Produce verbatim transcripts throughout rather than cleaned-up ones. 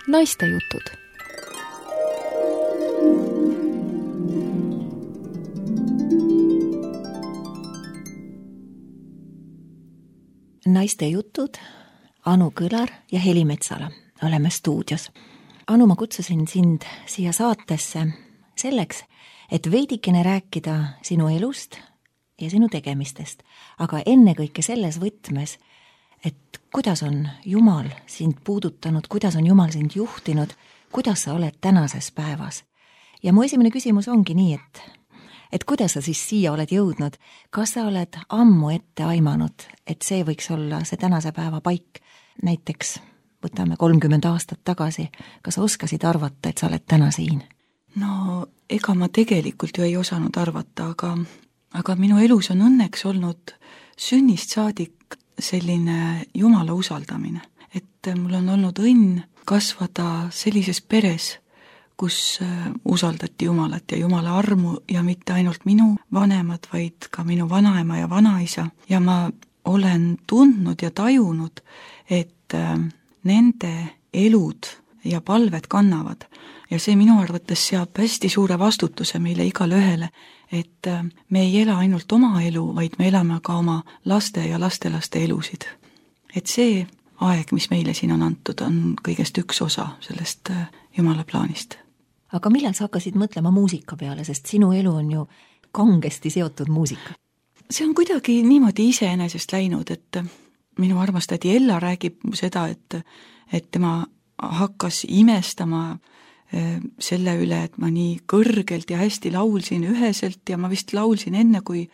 Naistejutud. Naistejutud, Anu Kõlar ja Heli Metsala. Oleme stuudios. Anu, ma kutsusin sind siia saatesse selleks, et veidikene rääkida sinu elust ja sinu tegemistest, aga ennekõike selles võtmes, et kuidas on Jumal sind puudutanud, kuidas on Jumal sind juhtinud, kuidas sa oled tänases päevas. Ja mu esimene küsimus ongi nii, et, et kuidas sa siis siia oled jõudnud, kas sa oled ammu ette aimanud, et see võiks olla see tänase päeva paik, näiteks võtame kolmkümmend aastat tagasi, kas sa oskasid arvata, et sa oled täna siin? No ega ma tegelikult ju ei osanud arvata, aga, aga minu elus on õnneks olnud sünnist saadik selline Jumala usaldamine, et mul on olnud õnn kasvada sellises peres, kus usaldati Jumalat ja Jumala armu ja mitte ainult minu vanemad, vaid ka minu vanaema ja vanaisa ja ma olen tundnud ja tajunud, et nende elud ja palved kannavad ja see minu arvates seab hästi suure vastutuse meile igale ühele, et me ei ela ainult oma elu, vaid me elame ka oma laste ja lastelaste elusid. Et see aeg, mis meile siin on antud, on kõigest üks osa sellest Jumala plaanist. Aga millal sa hakkasid mõtlema muusika peale, sest sinu elu on ju kangesti seotud muusika? See on kuidagi niimoodi iseenesest läinud, et minu armas tädi Ella räägib seda, et, et tema hakkas imestama selle üle, et ma nii kõrgelt ja hästi laulsin üheselt ja ma vist laulsin enne, kui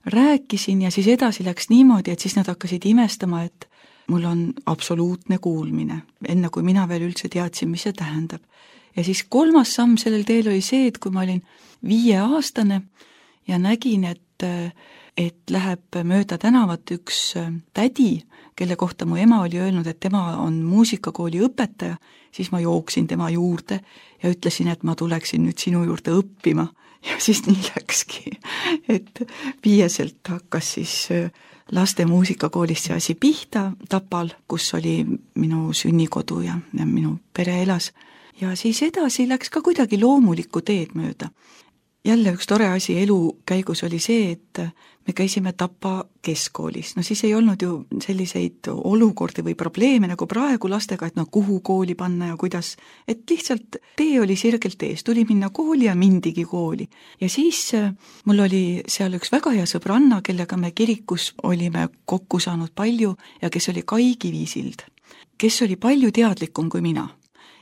rääkisin ja siis edasi läks niimoodi, et siis nad hakkasid imestama, et mul on absoluutne kuulmine, enne kui mina veel üldse teadsin, mis see tähendab. Ja siis kolmas samm sellel teel oli see, et kui ma olin viieaastane ja nägin, et, et läheb mööda tänavat üks tädi, kelle kohta mu ema oli öelnud, et tema on muusikakooli õpetaja, siis ma jooksin tema juurde ja ütlesin, et ma tuleksin nüüd sinu juurde õppima. Ja siis nii läkski, et viieselt hakkas siis laste muusikakoolist see asi pihta Tapal, kus oli minu sünnikodu ja, ja minu pere elas. Ja siis edasi läks ka kuidagi loomulikku teed mööda. Jälle üks tore asi elu käigus oli see, et me käisime Tapa keskkoolis. No siis ei olnud ju selliseid olukordi või probleeme nagu praegu lastega, et no kuhu kooli panna ja kuidas. Et lihtsalt tee oli sirgelt ees, tuli minna kooli ja mindigi kooli. Ja siis mul oli seal üks väga hea sõbranna, kellega me kirikus olime kokku saanud palju ja kes oli Kai Kivisild, kes oli palju teadlikum kui mina.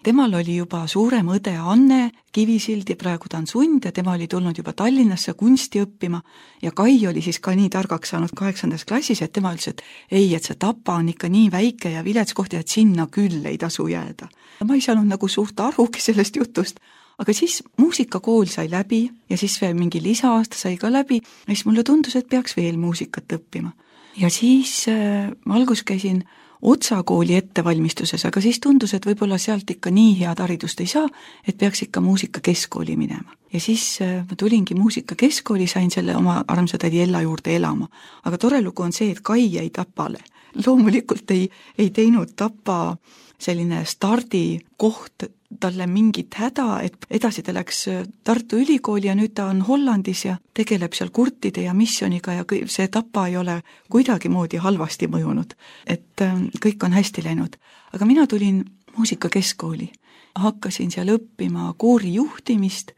Temal oli juba suurem õde Anne Kivisild ja praegu ta on sund ja tema oli tulnud juba Tallinnasse kunsti õppima ja Kai oli siis ka nii targaks saanud kaheksandas klassis, et tema ütles, et ei, et see Tapa on ikka nii väike ja vilets koht ja et sinna küll ei tasu jääda. Ma ei saanud nagu suurt arugi sellest jutust, aga siis muusikakool sai läbi ja siis veel mingi lisaaasta sai ka läbi ja siis mulle tundus, et peaks veel muusikat õppima. Ja siis äh, ma algus käisin Otsa kooli ettevalmistuses, aga siis tundus, et võib-olla sealt ikka nii head haridust ei saa, et peaks ikka muusika keskkooli minema. Ja siis ma tulingi muusika keskkooli, sain selle oma armsa tädi Ella juurde elama. Aga tore lugu on see, et Kai jäi Tapale. Loomulikult ei, ei teinud Tapa selline stardi koht talle mingit häda, et edasi ta läks Tartu Ülikooli ja nüüd ta on Hollandis ja tegeleb seal kurtide ja missioniga ja see Tapa ei ole kuidagi moodi halvasti mõjunud, et kõik on hästi läinud. Aga mina tulin muusika keskkooli, hakkasin seal õppima koori juhtimist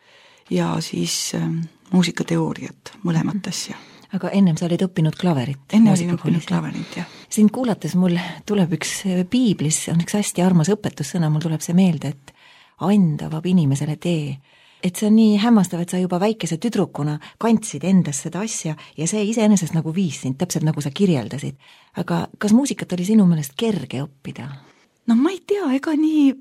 ja siis muusikateooriat, mõlemat asja. Aga ennem sa olid õppinud klaverit. Enne olin õppinud klaverit, jah. Sind kuulates mul tuleb üks piiblis, on üks hästi armas õpetussõna, mul tuleb see meelde, et anda vab inimesele tee. Et see on nii hämmastav, et sa juba väikese tüdrukuna kandsid endas seda asja ja see iseenesest nagu viis sind, täpselt nagu sa kirjeldasid. Aga kas muusikat oli sinu meelest kerge õppida? No ma ei tea, ega nii,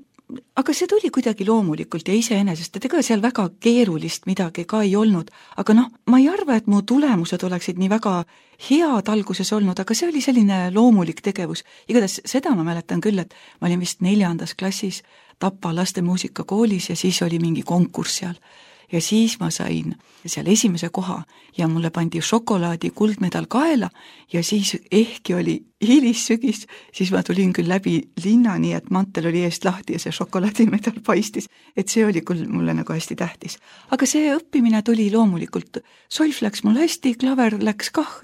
aga see tuli kuidagi loomulikult ja iseenesest, et ega seal väga keerulist midagi ka ei olnud. Aga noh, ma ei arva, et mu tulemused oleksid nii väga head alguses olnud, aga see oli selline loomulik tegevus. Igatahes seda ma mäletan küll, et ma olin vist neljandas klassis Tapa laste muusikakoolis ja siis oli mingi konkurss seal. ja siis ma sain seal esimese koha ja mulle pandi šokolaadi kuldmedal kaela ja siis ehkki oli hilissügis, siis ma tulin küll läbi linna, nii et mantel oli eest lahti ja see šokolaadimedal paistis, et see oli küll mulle nagu hästi tähtis. Aga see õppimine tuli loomulikult, solf läks mul hästi, klaver läks kah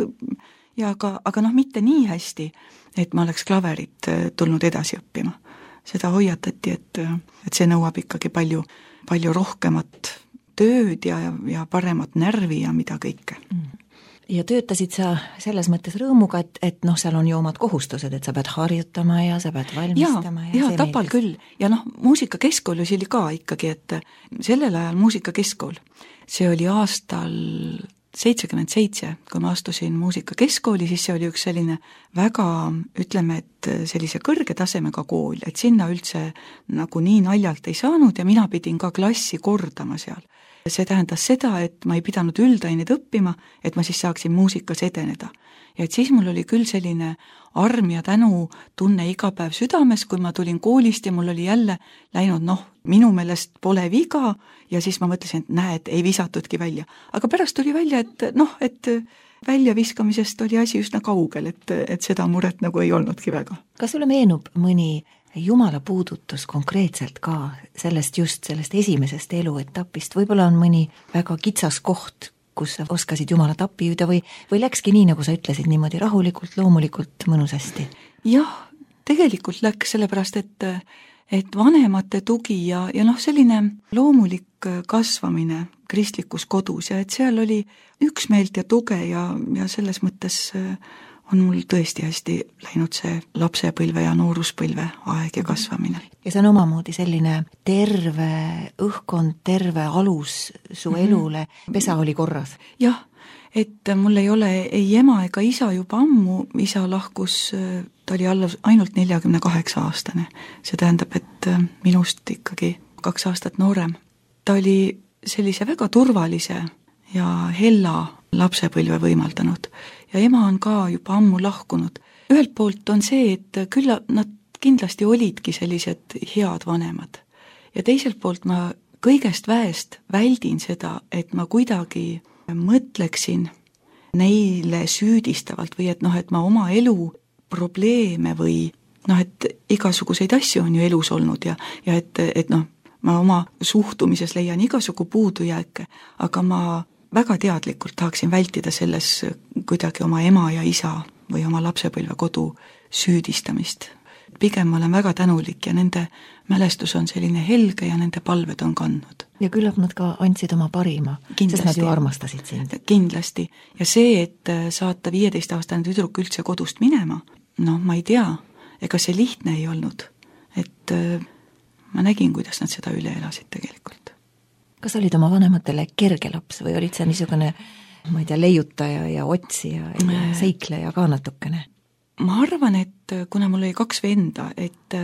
ja aga, aga noh, mitte nii hästi, et ma oleks klaverit tulnud edasi õppima. Seda hoiatati, et, et see nõuab ikkagi palju, palju rohkemat tööd ja, ja paremat närvi ja mida kõike. Ja töötasid sa selles mõttes rõõmuga, et, et noh, seal on ju omad kohustused, et sa pead harjutama ja sa pead valmistama. Ja, ja, ja Tapal küll. Ja noh, muusikakeskkool oli ka ikkagi, et sellel ajal muusikakeskkool, see oli aastal seitsekümmend seitse, kui ma astusin muusikakeskkooli, siis see oli üks selline väga, ütleme, et sellise kõrge tasemega kool, et sinna üldse nagu nii naljalt ei saanud ja mina pidin ka klassi kordama seal. See tähendas seda, et ma ei pidanud üldaineid õppima, et ma siis saaksin muusikas edeneda. Ja et siis mul oli küll selline arm ja tänu tunne iga päev südames, kui ma tulin koolist ja mul oli jälle läinud, noh, minu meelest pole viga ja siis ma mõtlesin, et näed, ei visatudki välja. Aga pärast tuli välja, et noh, et väljaviskamisest oli asi üsna kaugel, et, et seda muret nagu ei olnudki väga. Kas sulle meenub mõni Jumala puudutus konkreetselt ka sellest just sellest esimesest eluetapist? Võib-olla on mõni väga kitsas koht, kus sa oskasid Jumalat appi hüüda või, või läkski nii, nagu sa ütlesid, niimoodi rahulikult, loomulikult, mõnusasti? Jah, tegelikult läks sellepärast, et, et vanemate tugi ja, ja noh, selline loomulik kasvamine kristlikus kodus ja et seal oli üksmeelt ja tuge ja, ja selles mõttes on mul tõesti hästi läinud see lapsepõlve ja nooruspõlve aeg ja kasvamine. Ja see on omamoodi selline terve õhkond, terve alus su mm-hmm. elule, pesa oli korras? Jah, et mul ei ole ei ema ega isa juba ammu, isa lahkus, ta oli alla, ainult neljakümne kaheksa aastane. See tähendab, et minust ikkagi kaks aastat noorem. Ta oli sellise väga turvalise ja hella lapsepõlve võimaldanud. Ja ema on ka juba ammu lahkunud. Ühelt poolt on see, et küll nad kindlasti olidki sellised head vanemad. Ja teiselt poolt ma kõigest väest väldin seda, et ma kuidagi mõtleksin neile süüdistavalt või et noh, et ma oma elu probleeme või noh, et igasuguseid asju on ju elus olnud ja, ja et, et noh, ma oma suhtumises leian igasugu puudujääke, aga ma väga teadlikult tahaksin vältida selles kuidagi oma ema ja isa või oma lapsepõlve kodu süüdistamist. Pigem ma olen väga tänulik ja nende mälestus on selline helge ja nende palved on kandnud. Ja küllap nad ka andsid oma parima, kindlasti. Sest nad ju armastasid sind. Kindlasti. Ja see, et saata viieteistaastane tüdruk üldse kodust minema, noh, ma ei tea, ega see lihtne ei olnud. Et ma nägin, kuidas nad seda üle elasid tegelikult. Kas olid oma vanematele kerge laps või olid see niisugune, ma ei tea, leiutaja ja otsija ja seikleja ka natukene? Ma arvan, et kuna mul oli kaks venda, et...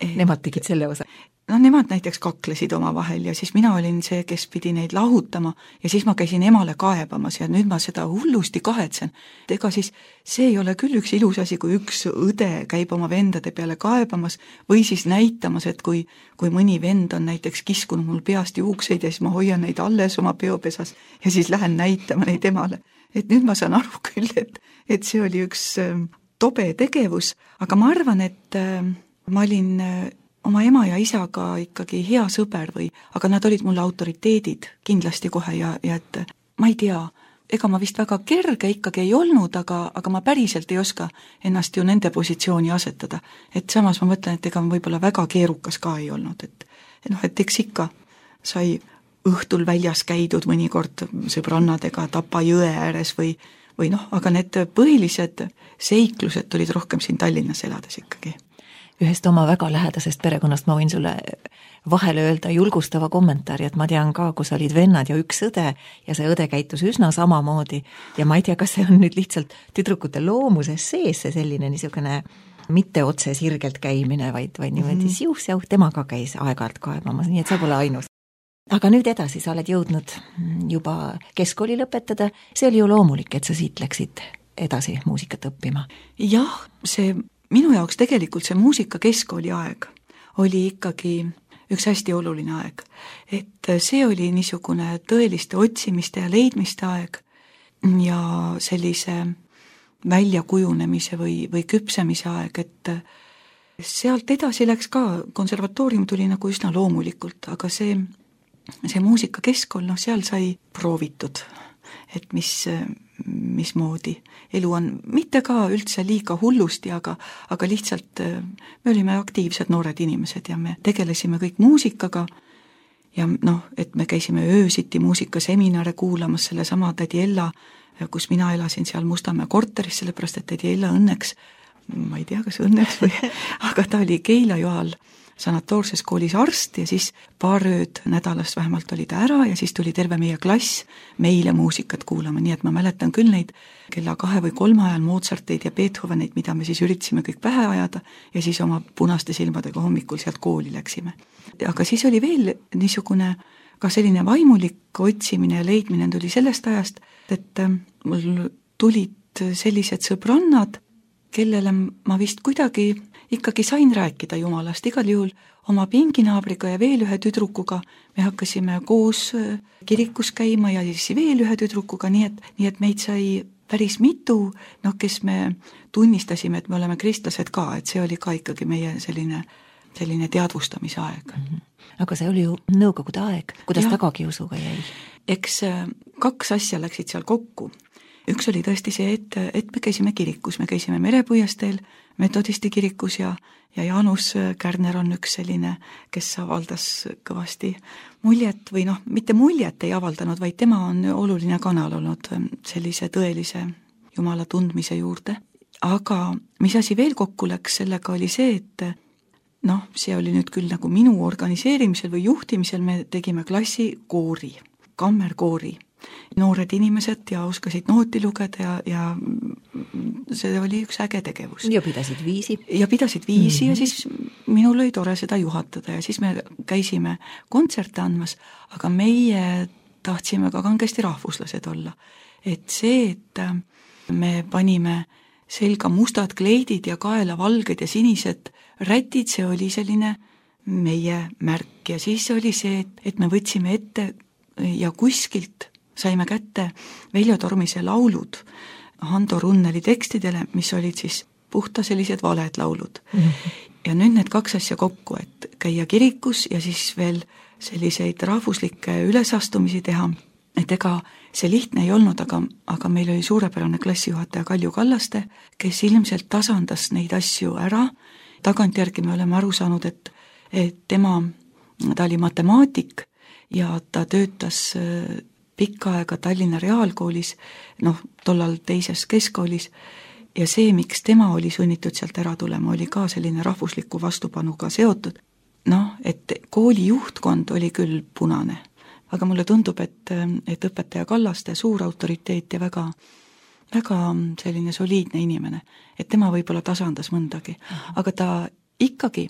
Nemad tegid selle osa? No nemad näiteks kaklesid oma vahel ja siis mina olin see, kes pidi neid lahutama ja siis ma käisin emale kaebamas ja nüüd ma seda hullusti kahetsen. Ega siis see ei ole küll üks ilus asi, kui üks õde käib oma vendade peale kaebamas või siis näitamas, et kui, kui mõni vend on näiteks kiskunud mul peast juukseid ja siis ma hoian neid alles oma peopesas ja siis lähen näitama neid emale. Et nüüd ma saan aru küll, et, et see oli üks tobe tegevus, aga ma arvan, et ma olin oma ema ja isaga ikkagi hea sõber või, aga nad olid mulle autoriteedid kindlasti kohe ja, ja et ma ei tea, ega ma vist väga kerge ikkagi ei olnud, aga, aga ma päriselt ei oska ennast ju nende positsiooni asetada. Et samas ma mõtlen, et ega ma võib-olla väga keerukas ka ei olnud, et, et noh, et eks ikka sai õhtul väljas käidud mõnikord sõbrannadega Tapa jõe ääres või, või noh, aga need põhilised seiklused tulid rohkem siin Tallinnas elades ikkagi. Ühest oma väga lähedasest perekonnast ma võin sulle vahele öelda julgustava kommentaari, et ma tean ka, kus olid vennad ja üks õde ja see õde käitus üsna samamoodi ja ma ei tea, kas see on nüüd lihtsalt tüdrukute loomuses sees see selline niisugune mitte otse sirgelt käimine, vaid, vaid niimoodi mm-hmm. siuh-siuh, tema ka käis aeg-ajalt kaebamas, nii et sa pole ainus. Aga nüüd edasi, sa oled jõudnud juba keskkooli lõpetada, see oli ju loomulik, et sa siit läksid edasi muusikat õppima. Jah, see minu jaoks tegelikult see muusika keskkooli aeg oli ikkagi üks hästi oluline aeg. Et see oli niisugune tõeliste otsimiste ja leidmiste aeg ja sellise väljakujunemise või, või küpsemise aeg, et sealt edasi läks ka, konservatoorium tuli nagu üsna loomulikult, aga see, see muusikakeskkond, noh, seal sai proovitud, et mis, mismoodi elu on, mitte ka üldse liiga hullusti, aga, aga lihtsalt me olime aktiivsed noored inimesed ja me tegelesime kõik muusikaga ja noh, et me käisime öösiti muusikaseminare kuulamas sellesama tädi Ella, kus mina elasin seal Mustamäe korteris, sellepärast et tädi Ella õnneks, ma ei tea, kas õnneks või, aga ta oli Keila-Joal sanatoorses koolis arst ja siis paar ööd nädalast vähemalt oli ta ära ja siis tuli terve meie klass meile muusikat kuulama, nii et ma mäletan küll neid kella kahe või kolme ajal Mozarteid ja Beethoveneid, mida me siis üritasime kõik pähe ajada ja siis oma punaste silmadega hommikul sealt kooli läksime. Aga siis oli veel niisugune ka selline vaimulik otsimine ja leidmine tuli sellest ajast, et mul tulid sellised sõbrannad, kellele ma vist kuidagi ikkagi sain rääkida Jumalast, igal juhul oma pinginaabriga ja veel ühe tüdrukuga me hakkasime koos kirikus käima ja siis veel ühe tüdrukuga, nii et, nii et meid sai päris mitu, noh, kes me tunnistasime, et me oleme kristlased ka, et see oli ka ikkagi meie selline, selline teadvustamise aeg. Mm-hmm. Aga see oli ju nõukogude aeg, kuidas ja, tagakiusuga jäi? Eks kaks asja läksid seal kokku. Üks oli tõesti see, et, et me käisime kirikus, me käisime Merepuiesteel, metodisti kirikus ja, ja Jaanus Kärner on üks selline, kes avaldas kõvasti muljet või noh, mitte muljet ei avaldanud, vaid tema on oluline kanal olnud sellise tõelise Jumala tundmise juurde. Aga mis asi veel kokku läks, sellega oli see, et noh, see oli nüüd küll nagu minu organiseerimisel või juhtimisel, me tegime klassi koori, kammerkoori. Noored inimesed ja oskasid nooti lugeda ja, ja see oli üks äge tegevus. Ja pidasid viisi. Ja pidasid viisi mm-hmm. ja siis minul oli tore seda juhatada ja siis me käisime kontserte andmas, aga meie tahtsime ka kangesti rahvuslased olla. Et see, et me panime selga mustad kleidid ja kaela valged ja sinised rätid, see oli selline meie märk ja siis oli see, et, et me võtsime ette ja kuskilt saime kätte Veljo Tormise laulud Hando Runneli tekstidele, mis olid siis puhta sellised valed laulud. Mm-hmm. Ja nüüd need kaks asja kokku, et käia kirikus ja siis veel selliseid rahvuslikke ülesastumisi teha, et ega see lihtne ei olnud, aga, aga meil oli suurepärane klassijuhataja Kalju Kallaste, kes ilmselt tasandas neid asju ära. Tagantjärgi me oleme aru saanud, et, et tema, ta oli matemaatik ja ta töötas pikka aega Tallinna Reaalkoolis, noh, tollal teises keskkoolis, ja see, miks tema oli sunnitud sealt ära tulema, oli ka selline rahvusliku vastupanuga seotud. Noh, et kooli juhtkond oli küll punane, aga mulle tundub, et, et õpetaja Kallaste suur autoriteet ja väga, väga selline soliidne inimene, et tema võib-olla tasandas mõndagi, aga ta ikkagi,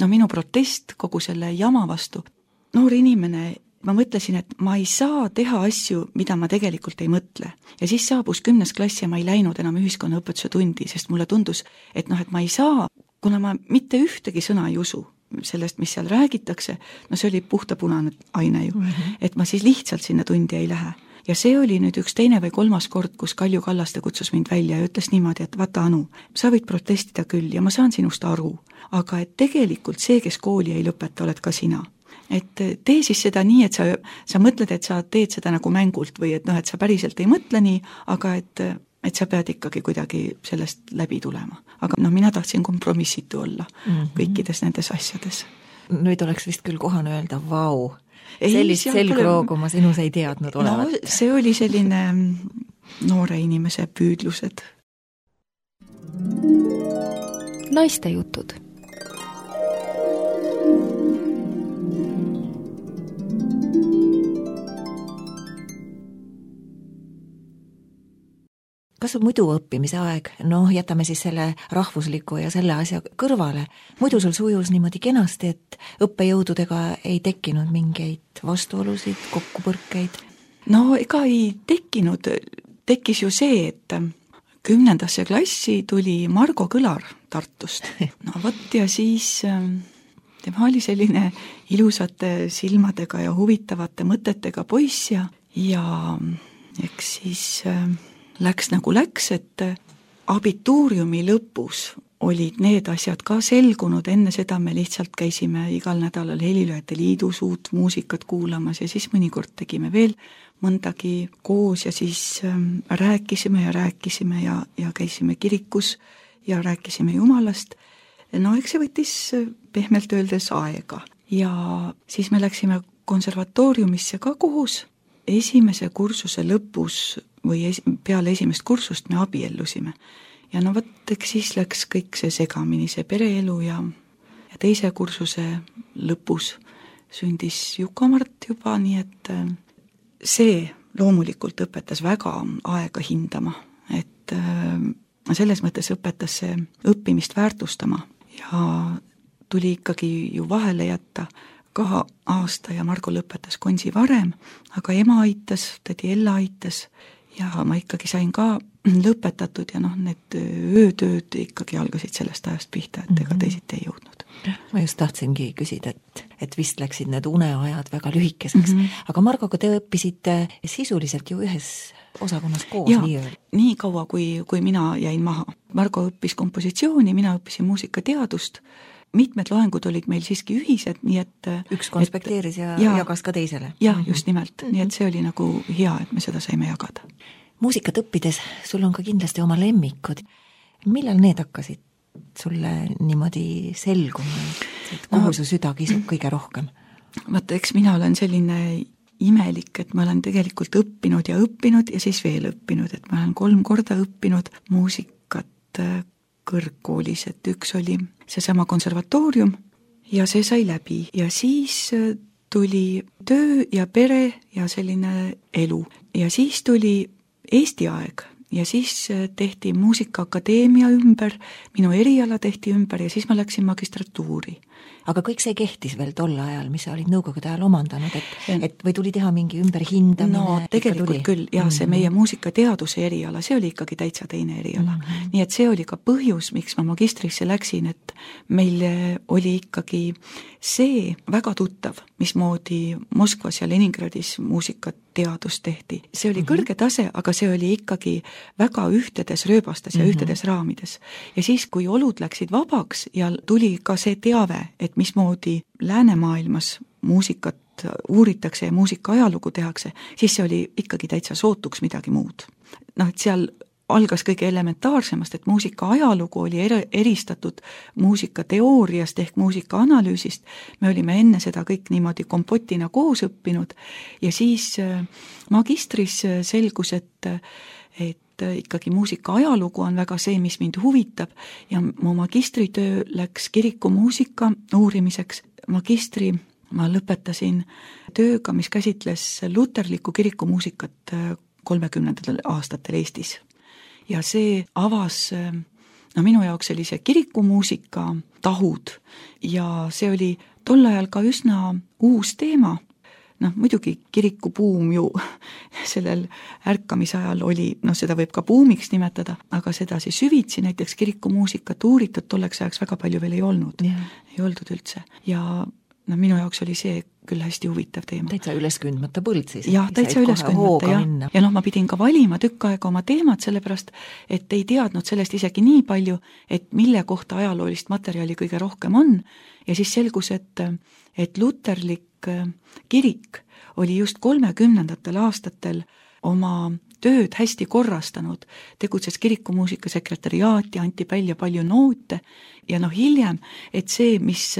no minu protest kogu selle jama vastu, noor inimene, ma mõtlesin, et ma ei saa teha asju, mida ma tegelikult ei mõtle. Ja siis saabus kümnes klass ja ma ei läinud enam ühiskonnaõpetuse tundi, sest mulle tundus, et noh, et ma ei saa, kuna ma mitte ühtegi sõna ei usu sellest, mis seal räägitakse, no see oli puhta punane aine ju, mm-hmm. et ma siis lihtsalt sinna tundi ei lähe. Ja see oli nüüd üks teine või kolmas kord, kus Kalju Kallaste kutsus mind välja ja ütles niimoodi, et vaata Anu, sa võid protestida küll ja ma saan sinust aru, aga et tegelikult see, kes kooli ei lõpeta, oled ka sina. Et tee siis seda nii, et sa, sa mõtled, et sa teed seda nagu mängult või et noh, et sa päriselt ei mõtle nii, aga et, et sa pead ikkagi kuidagi sellest läbi tulema. Aga noh, mina tahtsin kompromissitu olla mm-hmm. kõikides nendes asjades. Nüüd oleks vist küll kohane öelda, vau, sellist selgroogu ma sinus ei teadnud olevat. No, see oli selline noore inimese püüdlused. Naiste jutud. Kas on muidu õppimise aeg? Noh, jätame siis selle rahvusliku ja selle asja kõrvale. Muidu sul sujus niimoodi kenasti, et õppejõududega ei tekkinud mingeid vastuolusid, kokkupõrkeid? No ega ei tekkinud. Tekkis ju see, et kümnendasse klassi tuli Margo Kõlar Tartust. No võt ja siis tema oli selline ilusate silmadega ja huvitavate mõtetega poiss ja, ja eks siis äh, läks nagu läks, et abituuriumi lõpus olid need asjad ka selgunud, enne seda me lihtsalt käisime igal nädalal Helilööjate Liidus uut muusikat kuulamas ja siis mõnikord tegime veel mõndagi koos ja siis ähm, rääkisime ja rääkisime ja, ja käisime kirikus ja rääkisime Jumalast. No eks see võttis pehmelt öeldes aega ja siis me läksime konservatooriumisse ka koos. Esimese kursuse lõpus või es- peale esimest kursust me abiellusime. Ja no võt, eks siis läks kõik see segamini, see pereelu ja, ja teise kursuse lõpus sündis Juka-Mart juba, nii et see loomulikult õpetas väga aega hindama, et selles mõttes õpetas see õppimist väärtustama ja tuli ikkagi ju vahele jätta ka aasta ja Margo lõpetas Konsi varem, aga ema aitas, tädi Ella aitas ja ma ikkagi sain ka lõpetatud ja noh, need öötööd ikkagi algasid sellest ajast pihta, et ega teisiti ei jõudnud. Ma just tahtsingi küsida, et, et vist läksid need uneajad väga lühikeseks, mm -hmm. aga Margoga te õppisite sisuliselt ju ühes osakonnas koos ja, nii ööl. nii kaua, kui, kui mina jäin maha. Margo õppis kompositsiooni, mina õppisin muusikateadust, mitmed loengud olid meil siiski ühised, nii et üks konspekteeris et, ja, ja jagas ka teisele. Jah, just nimelt, mm -hmm. nii et see oli nagu hea, et me seda saime jagada. Muusikat õppides sul on ka kindlasti oma lemmikud. Millal need hakkasid sulle niimoodi selguma, et kuhu no, su süda kisub kõige rohkem? Vaata, eks mina olen selline imelik, et ma olen tegelikult õppinud ja õppinud ja siis veel õppinud, et ma olen kolm korda õppinud muusikat kõrgkoolis, et üks oli seesama konservatoorium ja see sai läbi ja siis tuli töö ja pere ja selline elu ja siis tuli Eesti aeg ja siis tehti muusikaakadeemia ümber, minu eriala tehti ümber ja siis ma läksin magistratuuri. Aga kõik see kehtis veel tol ajal, mis sa olid nõukogude ajal omandanud, et, et või tuli teha mingi ümberhindamine? No tegelikult küll, jah, see meie muusikateaduse eriala, see oli ikkagi täitsa teine eriala. Mm -hmm. Nii et see oli ka põhjus, miks ma magistrisse läksin, et meil oli ikkagi see väga tuttav, mismoodi Moskvas ja Leningradis muusikateadus tehti. See oli mm -hmm. kõrge tase, aga see oli ikkagi väga ühtedes rööbastes ja mm -hmm. ühtedes raamides. Ja siis, kui olud läksid vabaks ja tuli ka see teave, et mismoodi läänemaailmas muusikat uuritakse ja muusika ajalugu tehakse, siis see oli ikkagi täitsa sootuks midagi muud. Noh, et seal algas kõige elementaarsemast, et muusika ajalugu oli er- eristatud muusikateooriast ehk muusikaanalüüsist. Me olime enne seda kõik niimoodi kompotina koos õppinud ja siis magistris selgus, et, et ikkagi muusika ajalugu on väga see, mis mind huvitab ja mu magistritöö läks kirikumuusika uurimiseks. Magistri ma lõpetasin tööga, mis käsitles luterlikku kirikumuusikat kolmekümnendatel aastatel Eestis. Ja see avas, no minu jaoks oli see kirikumuusika tahud ja see oli tol ajal ka üsna uus teema. Noh, muidugi kirikubuum ju sellel ärkamisajal oli, noh seda võib ka buumiks nimetada, aga seda siis süvitsi näiteks kirikumuusikat uuritud tolleks ajaks väga palju veel ei olnud. Yeah. Ei oldud üldse. Ja no minu jaoks oli see küll hästi huvitav teema. Täitsa üleskündmata põld siis. Jah, täitsa üleskündmata, jah. Ja noh, ma pidin ka valima tükk aega oma teemad, sellepärast, et ei teadnud sellest isegi nii palju, et mille kohta ajaloolist materjali kõige rohkem on. Ja siis selgus, et, et luterlik kirik oli just kolmekümnendatel aastatel oma tööd hästi korrastanud, tegutses kirikumuusika sekretariaati, anti välja palju noote ja noh hiljem, et see, mis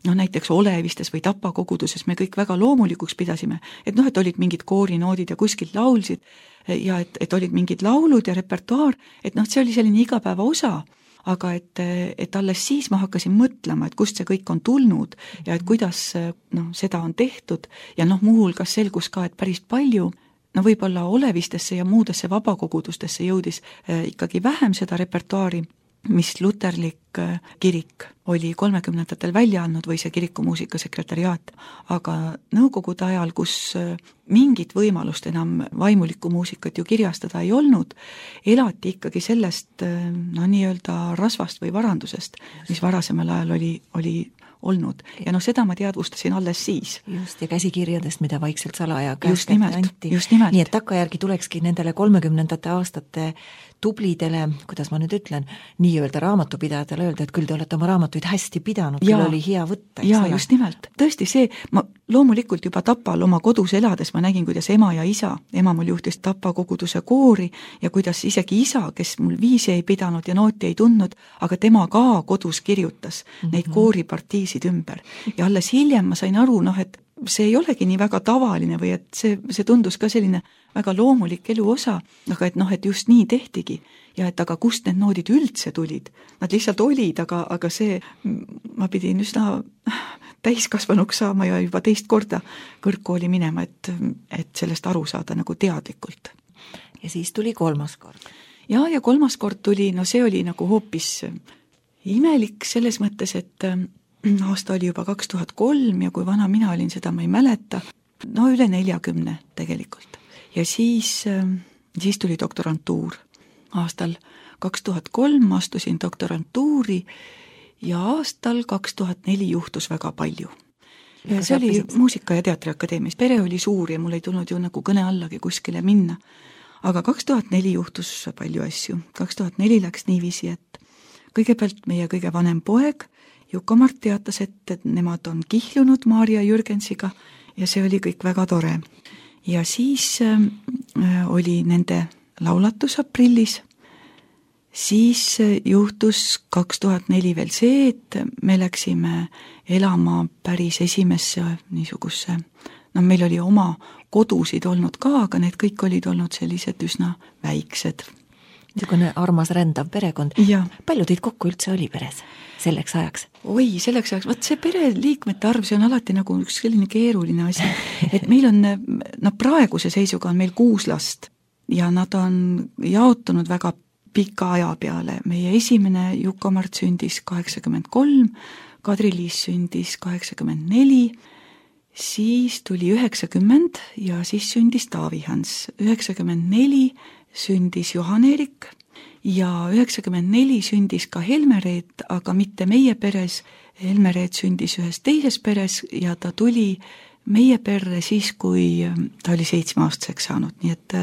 noh näiteks Olevistes või Tapa koguduses me kõik väga loomulikuks pidasime, et noh, et olid mingid koorinoodid ja kuskilt laulsid ja et, et olid mingid laulud ja repertuaar, et noh, see oli selline igapäeva osa, aga et, et alles siis ma hakkasin mõtlema, et kust see kõik on tulnud ja et kuidas noh, seda on tehtud ja noh, muuhulgas selgus ka, et päris palju no võib-olla Olevistesse ja muudesse vabakogudustesse jõudis äh, ikkagi vähem seda repertuaari, mis luterlik äh, kirik oli kolmekümnendatel välja andnud või see kirikumuusika sekretariaat, aga nõukogude ajal, kus äh, mingit võimalust enam vaimulikku muusikat ju kirjastada ei olnud, elati ikkagi sellest äh, no nii-öelda rasvast või varandusest, mis varasemal ajal oli, oli olnud. Ja noh, seda ma teadvustasin alles siis. Just, ja käsikirjadest, mida vaikselt salaja just nimelt, anti. Just nimelt. Nii et takkajärgi tulekski nendele kolmekümnendate aastate tublidele, kuidas ma nüüd ütlen, nii-öelda raamatupidajatele öelda, et küll te olete oma raamatuid hästi pidanud, küll oli hea võtta. Jaa, just nimelt. Tõesti see, ma loomulikult juba Tapal oma kodus elades ma nägin, kuidas ema ja isa, ema mul juhtis Tapa koguduse koori ja kuidas isegi isa, kes mul viisi ei pidanud ja nooti ei tundnud, aga tema ka kodus kirjutas mm -hmm. neid kooripartiisid ümber. Ja alles hiljem ma sain aru, noh, et see ei olegi nii väga tavaline või et see, see tundus ka selline väga loomulik elu osa, aga et noh, et just nii tehtigi ja et aga kust need noodid üldse tulid. Nad lihtsalt olid, aga, aga see, ma pidin üsna täiskasvanuks saama ja juba teist korda kõrgkooli minema, et, et sellest aru saada nagu teadlikult. Ja siis tuli kolmas kord. Ja, ja kolmas kord tuli, no see oli nagu hoopis imelik selles mõttes, et aasta oli juba kaks tuhat kolm ja kui vana mina olin, seda ma ei mäleta, no üle neljakümne tegelikult. Ja siis, siis tuli doktorantuur. Aastal kaks tuhat kolm astusin doktorantuuri ja aastal kaks tuhat neli juhtus väga palju. Ja see oli Muusika- ja Teatriakadeemias. Pere oli suur ja mul ei tulnud ju nagu kõne allagi kuskile minna. Aga kaks tuhat neli juhtus palju asju. kaks tuhat neli läks niiviisi, et kõigepealt meie kõige vanem poeg Juko-Mart teatas, et, et nemad on kihlunud Maarja Jürgensiga ja see oli kõik väga tore. Ja siis äh, oli nende laulatus aprillis. Siis juhtus kaks tuhat neli veel see, et me läksime elama päris esimesse niisugusse, no meil oli oma kodusid olnud ka, aga need kõik olid olnud sellised üsna väiksed. Niisugune armas rändav perekond. Ja. Palju teid kokku üldse oli peres selleks ajaks? Oi, selleks ajaks, võt see pereliikmete arv, see on alati nagu üks selline keeruline asi, et meil on, no praeguse seisuga on meil kuus last ja nad on jaotunud väga pika aja peale. Meie esimene Juko-Mart sündis kaheksakümmend kolm, Kadri-Liis sündis kaheksakümmend neli, siis tuli üheksakümmend ja siis sündis Taavi-Hans. üheksakümmend neli sündis Johan-Erik ja üheksakümmend neli sündis ka Helmereet, aga mitte meie peres. Helmereet sündis ühes teises peres ja ta tuli meie perre siis, kui ta oli seitsmeaastaseks saanud, nii et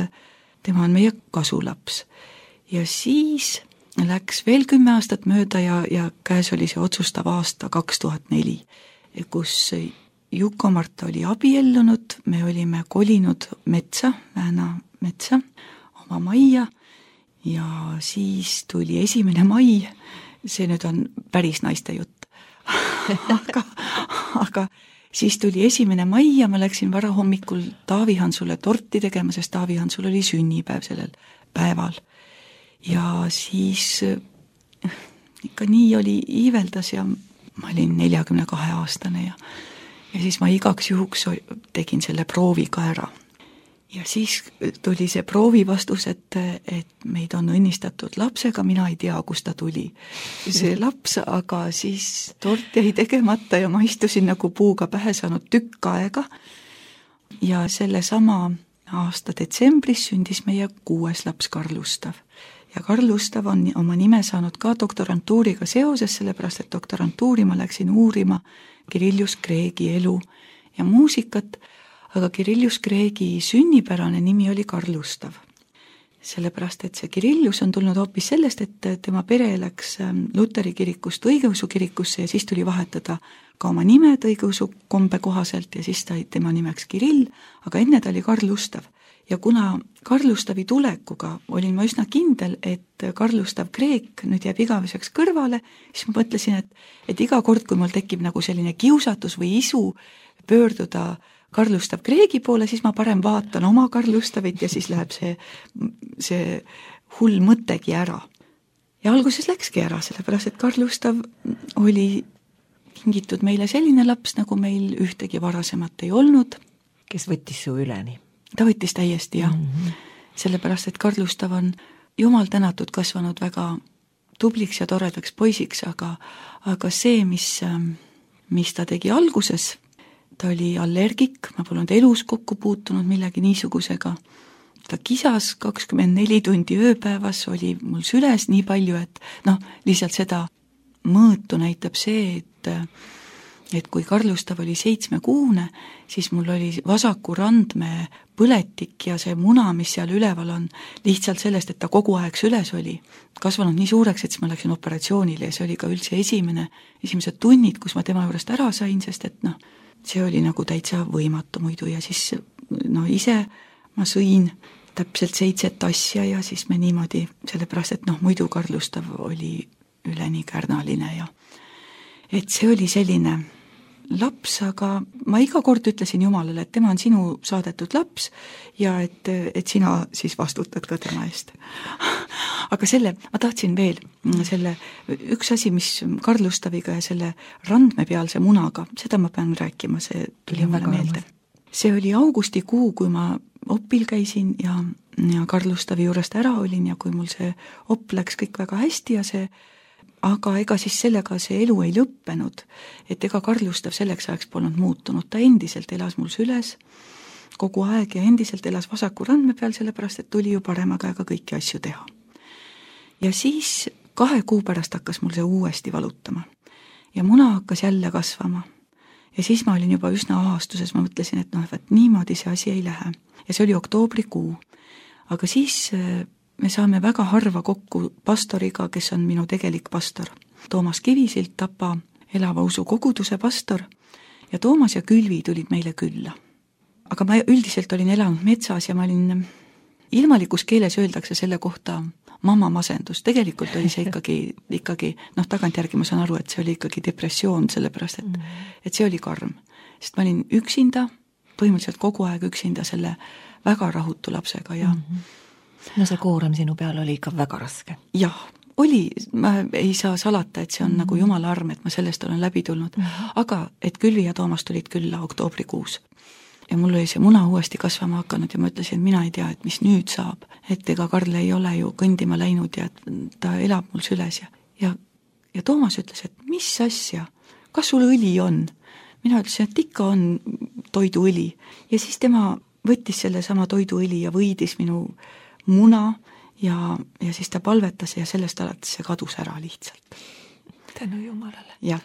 tema on meie kasulaps. Ja siis läks veel kümme aastat mööda ja, ja käes oli see otsustav aasta kaks tuhat neli, kus Juko-Mart oli abiellunud, me olime kolinud metsa, Vääna metsa, oma majja ja siis tuli esimene mai, see nüüd on päris naiste jutt, aga, aga siis tuli esimene mai ja ma läksin varahommikul Taavi-Hansule torti tegema, sest Taavi-Hansul oli sünnipäev sellel päeval. Ja siis ikka nii oli iiveldas ja ma olin neljakümne kahe aastane ja, ja siis ma igaks juhuks tegin selle proovi ka ära. Ja siis tuli see proovi vastus, et, et meid on õnnistatud lapsega, mina ei tea, kust ta tuli. See laps, aga siis tort jäi tegemata ja ma istusin nagu puuga pähe saanud tükk aega. Ja selle sama aasta detsembris sündis meie kuues laps Karl Ustav. Ja Karl Ustav on oma nime saanud ka doktorantuuriga seoses, sellepärast et doktorantuuri ma läksin uurima Kirillus Kreegi elu ja muusikat, aga Kirillus Kreegi sünnipärane nimi oli Karl Ustav. Sellepärast, et see Kirillus on tulnud hoopis sellest, et tema pere läks Luteri kirikust õigeusu kirikusse ja siis tuli vahetada ka oma nimed õigeusu kombe kohaselt ja siis ta tema nimeks Kirill, aga enne ta oli Karl Ustav. Ja kuna Karl Ustavi tulekuga olin ma üsna kindel, et Karl Ustav Kreek nüüd jääb igaveseks kõrvale, siis ma mõtlesin, et, et iga kord, kui mul tekib nagu selline kiusatus või isu pöörduda Karl Ustav Kreegi poole, siis ma parem vaatan oma Karl Ustavit ja siis läheb see, see hull mõttegi ära. Ja alguses läkski ära, sellepärast, et Karl Ustav oli kingitud meile selline laps, nagu meil ühtegi varasemat ei olnud. Kes võttis su üleni? Ta võttis täiesti, jah. Mm-hmm. Sellepärast, et Karl Ustav on jumal tänatud kasvanud väga tubliks ja toredaks poisiks, aga, aga see, mis, mis ta tegi alguses, ta oli allergik, ma polnud elus kokku puutunud millegi niisugusega. Ta kisas kakskümmend neli tundi ööpäevas, oli mul süles nii palju, et noh, lihtsalt seda mõõtu näitab see, et et kui Karlustav oli seitsmekuune, siis mul oli vasaku randme põletik ja see muna, mis seal üleval on, lihtsalt sellest, et ta kogu aeg süles oli, kasvanud nii suureks, et siis ma läksin operatsioonile ja see oli ka üldse esimene, esimesed tunnid, kus ma tema juurest ära sain, sest et noh, see oli nagu täitsa võimatu muidu ja siis no ise ma sõin täpselt seitset asja ja siis me niimoodi, sellepärast et noh, muidu Karlustav oli üleni kärnaline ja et see oli selline laps, aga ma iga kord ütlesin Jumalale, et tema on sinu saadetud laps ja et, et sina siis vastutad ka tema eest. Aga selle, ma tahtsin veel selle, üks asi, mis Karlustaviga ja selle randmepealse munaga, seda ma pean rääkima, see tuli mulle meelde. See oli augustikuu, kui ma opil käisin ja, ja Karlustavi juurest ära olin ja kui mul see op läks kõik väga hästi ja see aga ega siis sellega see elu ei lõppenud, et ega Karlustav selleks ajaks polnud muutunud, ta endiselt elas mul süles kogu aeg ja endiselt elas vasaku randme peal, sellepärast et tuli ju parema käega kõiki asju teha. Ja siis kahe kuu pärast hakkas mul see uuesti valutama ja muna hakkas jälle kasvama ja siis ma olin juba üsna aastuses, ma mõtlesin, et noh, et niimoodi see asi ei lähe ja see oli oktoobrikuu, aga siis me saame väga harva kokku pastoriga, kes on minu tegelik pastor. Toomas Kivisilt, Tapa elava usu koguduse pastor ja Toomas ja Külvi tulid meile külla. Aga ma üldiselt olin elanud metsas ja ma olin, ilmalikus keeles öeldakse selle kohta mamma masendus, tegelikult oli see ikkagi, ikkagi noh, tagantjärgi ma saan aru, et see oli ikkagi depressioon, sellepärast et, et see oli karm, sest ma olin üksinda, põhimõtteliselt kogu aeg üksinda selle väga rahutu lapsega ja mm-hmm. No see koorem sinu peal oli ikka väga raske. Jah, oli, ma ei saa salata, et see on mm-hmm. nagu Jumala arm, et ma sellest olen läbi tulnud, mm-hmm. aga et Külvi ja Toomas tulid külla oktoobrikuus ja mul oli see muna uuesti kasvama hakanud ja ma ütlesin, et mina ei tea, et mis nüüd saab, et ega Karl ei ole ju kõndima läinud ja et ta elab mul süles ja, ja, ja Toomas ütles, et mis asja, kas sul õli on? Mina ütlesin, et ikka on toiduõli ja siis tema võttis selle sama toiduõli ja võidis minu muna ja, ja siis ta palvetas ja sellest alates see kadus ära lihtsalt. Tänu Jumalale. Jah,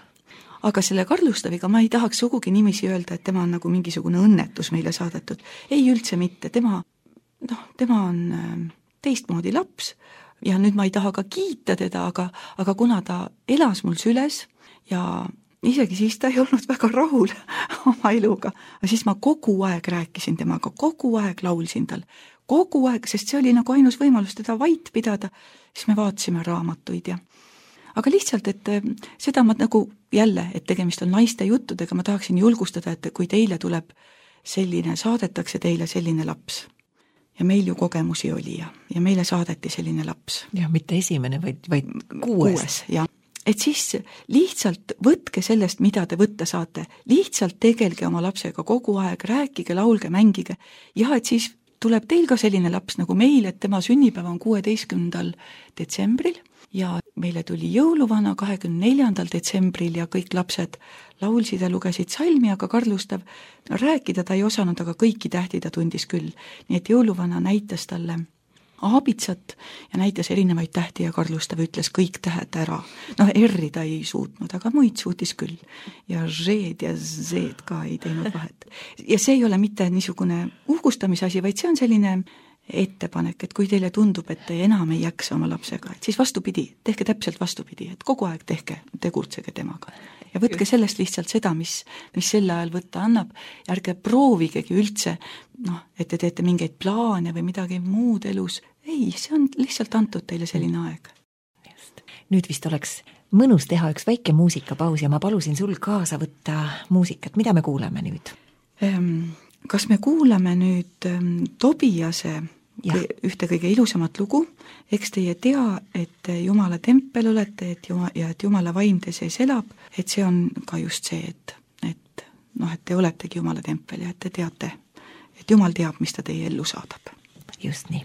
aga selle Karlustaviga ma ei tahaks sugugi nimisi öelda, et tema on nagu mingisugune õnnetus meile saadetud. Ei üldse mitte, tema, noh, tema on teistmoodi laps ja nüüd ma ei taha ka kiita teda, aga, aga kuna ta elas mul süles ja isegi siis ta ei olnud väga rahul oma eluga, aga siis ma kogu aeg rääkisin temaga, kogu aeg laulsin tal, kogu aeg, sest see oli nagu ainus võimalus teda vait pidada, siis me vaatasime raamatuid ja aga lihtsalt, et seda ma nagu jälle, et tegemist on naiste juttudega, ma tahaksin julgustada, et kui teile tuleb selline, saadetakse teile selline laps ja meil ju kogemusi oli ja, ja meile saadeti selline laps. Ja mitte esimene, vaid, vaid kuues. Kuues, jah. Et siis lihtsalt võtke sellest, mida te võtta saate, lihtsalt tegelge oma lapsega kogu aeg, rääkige, laulge, mängige ja et siis tuleb teil ka selline laps nagu meil, et tema sünnipäev on kuueteistkümnendal detsembril ja meile tuli jõuluvana kahekümne neljandal detsembril ja kõik lapsed laulsid ja lugesid salmi, aga Karlustav no, rääkida ta ei osanud, aga kõiki tähti ta tundis küll. Nii et jõuluvana näitas talle aabitsat ja näitas erinevaid tähti ja Karlustav ütles kõik tähed ära. Noh, R-i ta ei suutnud, aga muid suutis küll. Ja Z-d ja Z-d ka ei teinud vahet. Ja see ei ole mitte niisugune uhkustamisasi, vaid see on selline ettepanek, et kui teile tundub, et te enam ei jaksa oma lapsega, et siis vastupidi, tehke täpselt vastupidi, et kogu aeg tehke, tegutsege temaga. Ja võtke sellest lihtsalt seda, mis, mis selle ajal võtta annab, ja ärge proovigegi üldse, noh, et te teete mingeid plaane või midagi muud elus. Ei, see on lihtsalt antud teile selline aeg. Just. Nüüd vist oleks mõnus teha üks väike muusikapaus ja ma palusin sul kaasa võtta muusikat. Mida me kuuleme nüüd? Kas me kuulame nüüd Tobiase ja. Ühte kõige ilusamat lugu, eks teie tea, et Jumala tempel olete et Jumala, ja et Jumala vaim te sees elab, et see on ka just see, et, et, noh, et te oletegi Jumala tempel ja et te teate, et Jumal teab, mis ta teie ellu saadab. Just nii.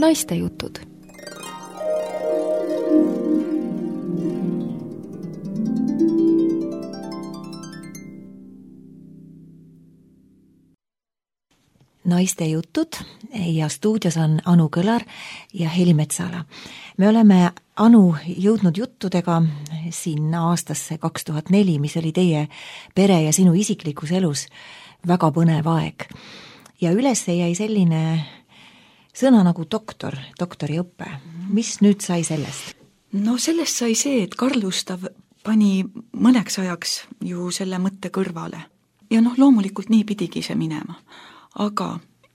Naistejutud. Naistejutud ja stuudios on Anu Kõlar ja Heli Metsala. Me oleme, Anu, jõudnud juttudega sinna aastasse kaks tuhat neli, mis oli teie pere ja sinu isiklikus elus väga põnev aeg. Ja üles jäi selline sõna nagu doktor, doktoriõpe. Mis nüüd sai sellest? No sellest sai see, et Karl Gustav pani mõneks ajaks ju selle mõtte kõrvale. Ja noh, loomulikult nii pidigi see minema. Aga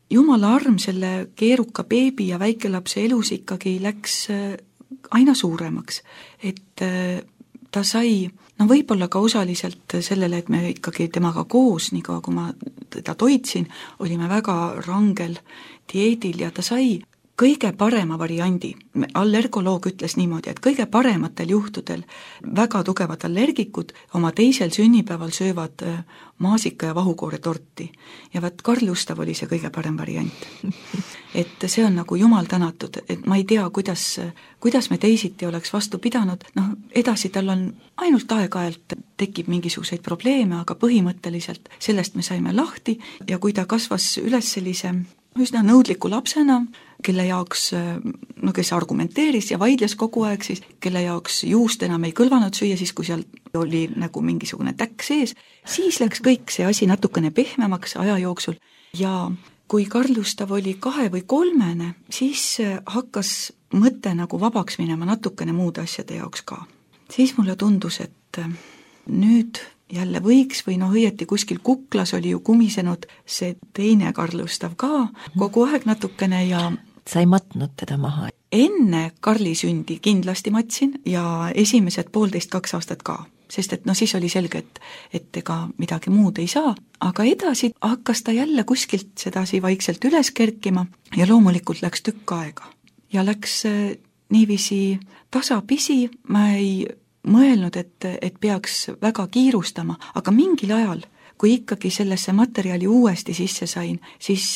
jumala arm selle keeruka beebi ja väikelapse elus ikkagi läks aina suuremaks. Et ta sai, no võib-olla ka osaliselt sellele, et me ikkagi temaga koos, nii kaua kui ma teda toitsin, olime väga rangel dieedil ja ta sai kõige parema variandi. Allergoloog ütles niimoodi, et kõige parematel juhtudel väga tugevad allergikud oma teisel sünnipäeval söövad maasika ja vahukoore torti. Ja vaat Karl Gustav oli see kõige parem variant. Et see on nagu jumal tänatud, et ma ei tea, kuidas, kuidas me teisiti oleks vastu pidanud. Noh, edasi tal on ainult aeg-ajalt tekib mingisuguseid probleeme, aga põhimõtteliselt sellest me saime lahti ja kui ta kasvas üles sellise üsna nõudliku lapsena, kelle jaoks, no kes argumenteeris ja vaidles kogu aeg, siis kelle jaoks juust enam ei kõlvanud süüa, siis kui seal oli nagu mingisugune täkk sees, siis läks kõik see asi natukene pehmemaks aja jooksul. Ja kui Karl Gustav oli kahe või kolmene, siis hakkas mõte nagu vabaks minema natukene muude asjade jaoks ka. Siis mulle tundus, et nüüd jälle võiks või noh, õieti kuskil kuklas oli ju kumisenud see teine Karl Gustav ka kogu aeg natukene ja sa ei matnud teda maha? Enne Karli sündi kindlasti matsin ja esimesed poolteist kaks aastat ka, sest et no siis oli selge, et, et ega midagi muud ei saa, aga edasi hakkas ta jälle kuskilt sedasi vaikselt üles kerkima ja loomulikult läks tükk aega ja läks niiviisi tasapisi, ma ei mõelnud, et, et peaks väga kiirustama, aga mingil ajal, kui ikkagi sellesse materjali uuesti sisse sain, siis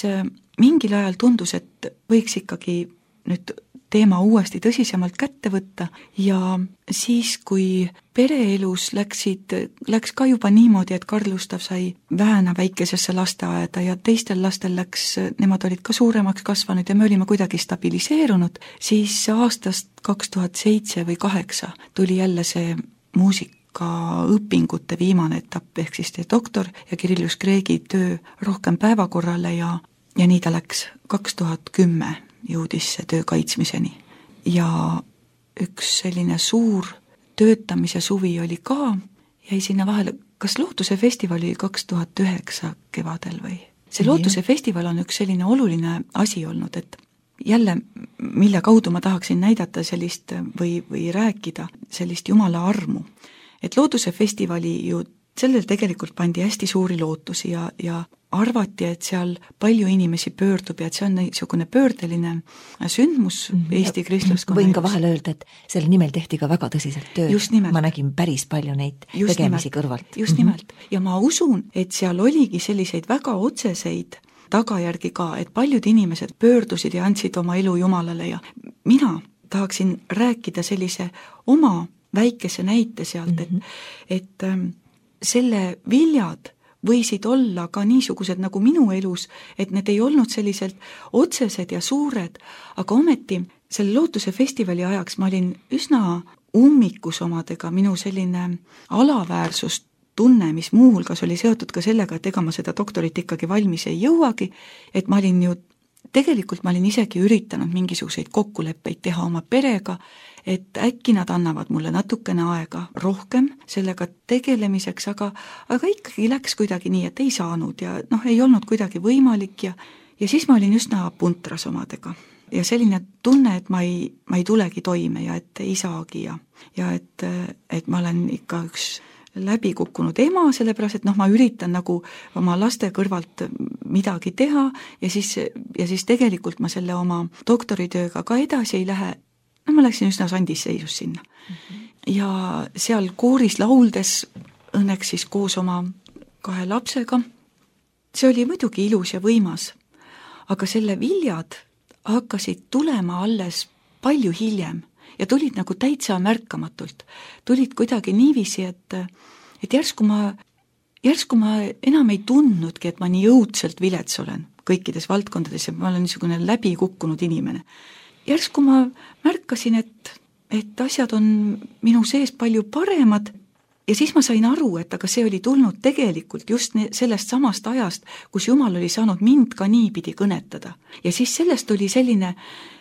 mingil ajal tundus, et võiks ikkagi nüüd teema uuesti tõsisemalt kätte võtta ja siis, kui pereelus läksid, läks ka juba niimoodi, et Karl Gustav sai vähena väikesesse lasteaeda ja teistel lastel läks, nemad olid ka suuremaks kasvanud ja me olime kuidagi stabiliseerunud, siis aastast kaks tuhat seitse või kaheksa tuli jälle see muusikaõpingute viimane etapp, ehk siis see doktor ja Kirillus Kreegi töö rohkem päevakorrale ja, ja nii ta läks kaks tuhat kümme jõudis see töö kaitsmiseni. Ja üks selline suur töötamise suvi oli ka, jäi sinna vahele, kas Lootuse festival oli kaks tuhat üheksa kevadel või? See Lootuse festival on üks selline oluline asi olnud, et jälle, mille kaudu ma tahaksin näidata sellist või, või rääkida sellist jumala armu. Et Lootuse festivali ju sellel tegelikult pandi hästi suuri lootusi ja, ja arvati, et seal palju inimesi pöördub ja et see on niisugune pöördeline sündmus Eesti kristluskonna. Võin ka vahel öelda, et selle nimel tehti ka väga tõsiselt tööd. Ma nägin päris palju neid just tegemisi nimelt, kõrvalt. Just nimelt. Ja ma usun, et seal oligi selliseid väga otseseid tagajärgi ka, et paljud inimesed pöördusid ja andsid oma elu Jumalale ja mina tahaksin rääkida sellise oma väikese näite sealt, et, et selle viljad võisid olla ka niisugused nagu minu elus, et need ei olnud selliselt otsesed ja suured, aga ometi selle Lootuse festivali ajaks ma olin üsna ummikus omadega, minu selline alaväärsust tunne, mis muuhulgas oli seotud ka sellega, et ega ma seda doktorit ikkagi valmis ei jõuagi, et ma olin ju, tegelikult ma olin isegi üritanud mingisuguseid kokkuleppeid teha oma perega, et äkki nad annavad mulle natukene aega rohkem sellega tegelemiseks, aga, aga ikkagi läks kuidagi nii, et ei saanud ja noh, ei olnud kuidagi võimalik ja, ja siis ma olin üsna puntras omadega. Ja selline tunne, et ma ei, ma ei tulegi toime ja et ei saagi ja, ja et, et ma olen ikka üks läbi kukkunud ema, sellepärast, et noh, ma üritan nagu oma laste kõrvalt midagi teha ja siis, ja siis tegelikult ma selle oma doktoritööga ka edasi ei lähe. No ma läksin üsna sandis seisus sinna. Mm-hmm. Ja seal kooris lauldes õnneks siis koos oma kahe lapsega. See oli muidugi ilus ja võimas, aga selle viljad hakkasid tulema alles palju hiljem ja tulid nagu täitsa märkamatult. Tulid kuidagi niiviisi, et, et järsku ma, järsku ma enam ei tundnudki, et ma nii õudselt vilets olen kõikides valdkondades ja ma olen niisugune läbi kukkunud inimene. Järsku ma märkasin, et, et asjad on minu sees palju paremad ja siis ma sain aru, et aga see oli tulnud tegelikult just sellest samast ajast, kus Jumal oli saanud mind ka niipidi kõnetada. Ja siis sellest oli selline,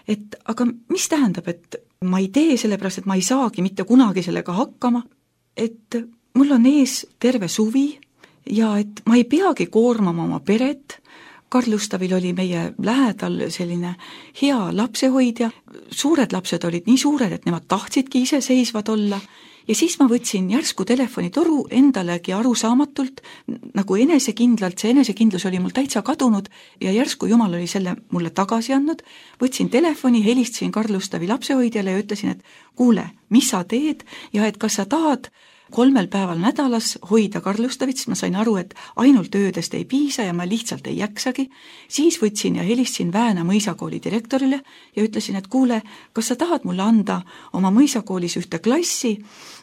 et aga mis tähendab, et ma ei tee sellepärast, et ma ei saagi mitte kunagi sellega hakkama, et mul on ees terve suvi ja et ma ei peagi koormama oma peret. Karlustavil oli meie lähedal selline hea lapsehoidja, suured lapsed olid nii suured, et nemad tahtsidki iseseisvad olla ja siis ma võtsin järsku telefonitoru endalegi arusaamatult, nagu enesekindlalt, see enesekindlus oli mul täitsa kadunud ja järsku Jumal oli selle mulle tagasi andnud, võtsin telefoni, helistasin Karlustavi lapsehoidjale ja ütlesin, et kuule, mis sa teed ja et kas sa tahad kolmel päeval nädalas hoida Karlustavit, siis ma sain aru, et ainult öödest ei piisa ja ma lihtsalt ei jaksagi. Siis võtsin ja helistasin Vääna mõisakooli direktorile ja ütlesin, et kuule, kas sa tahad mulle anda oma mõisakoolis ühte klassi,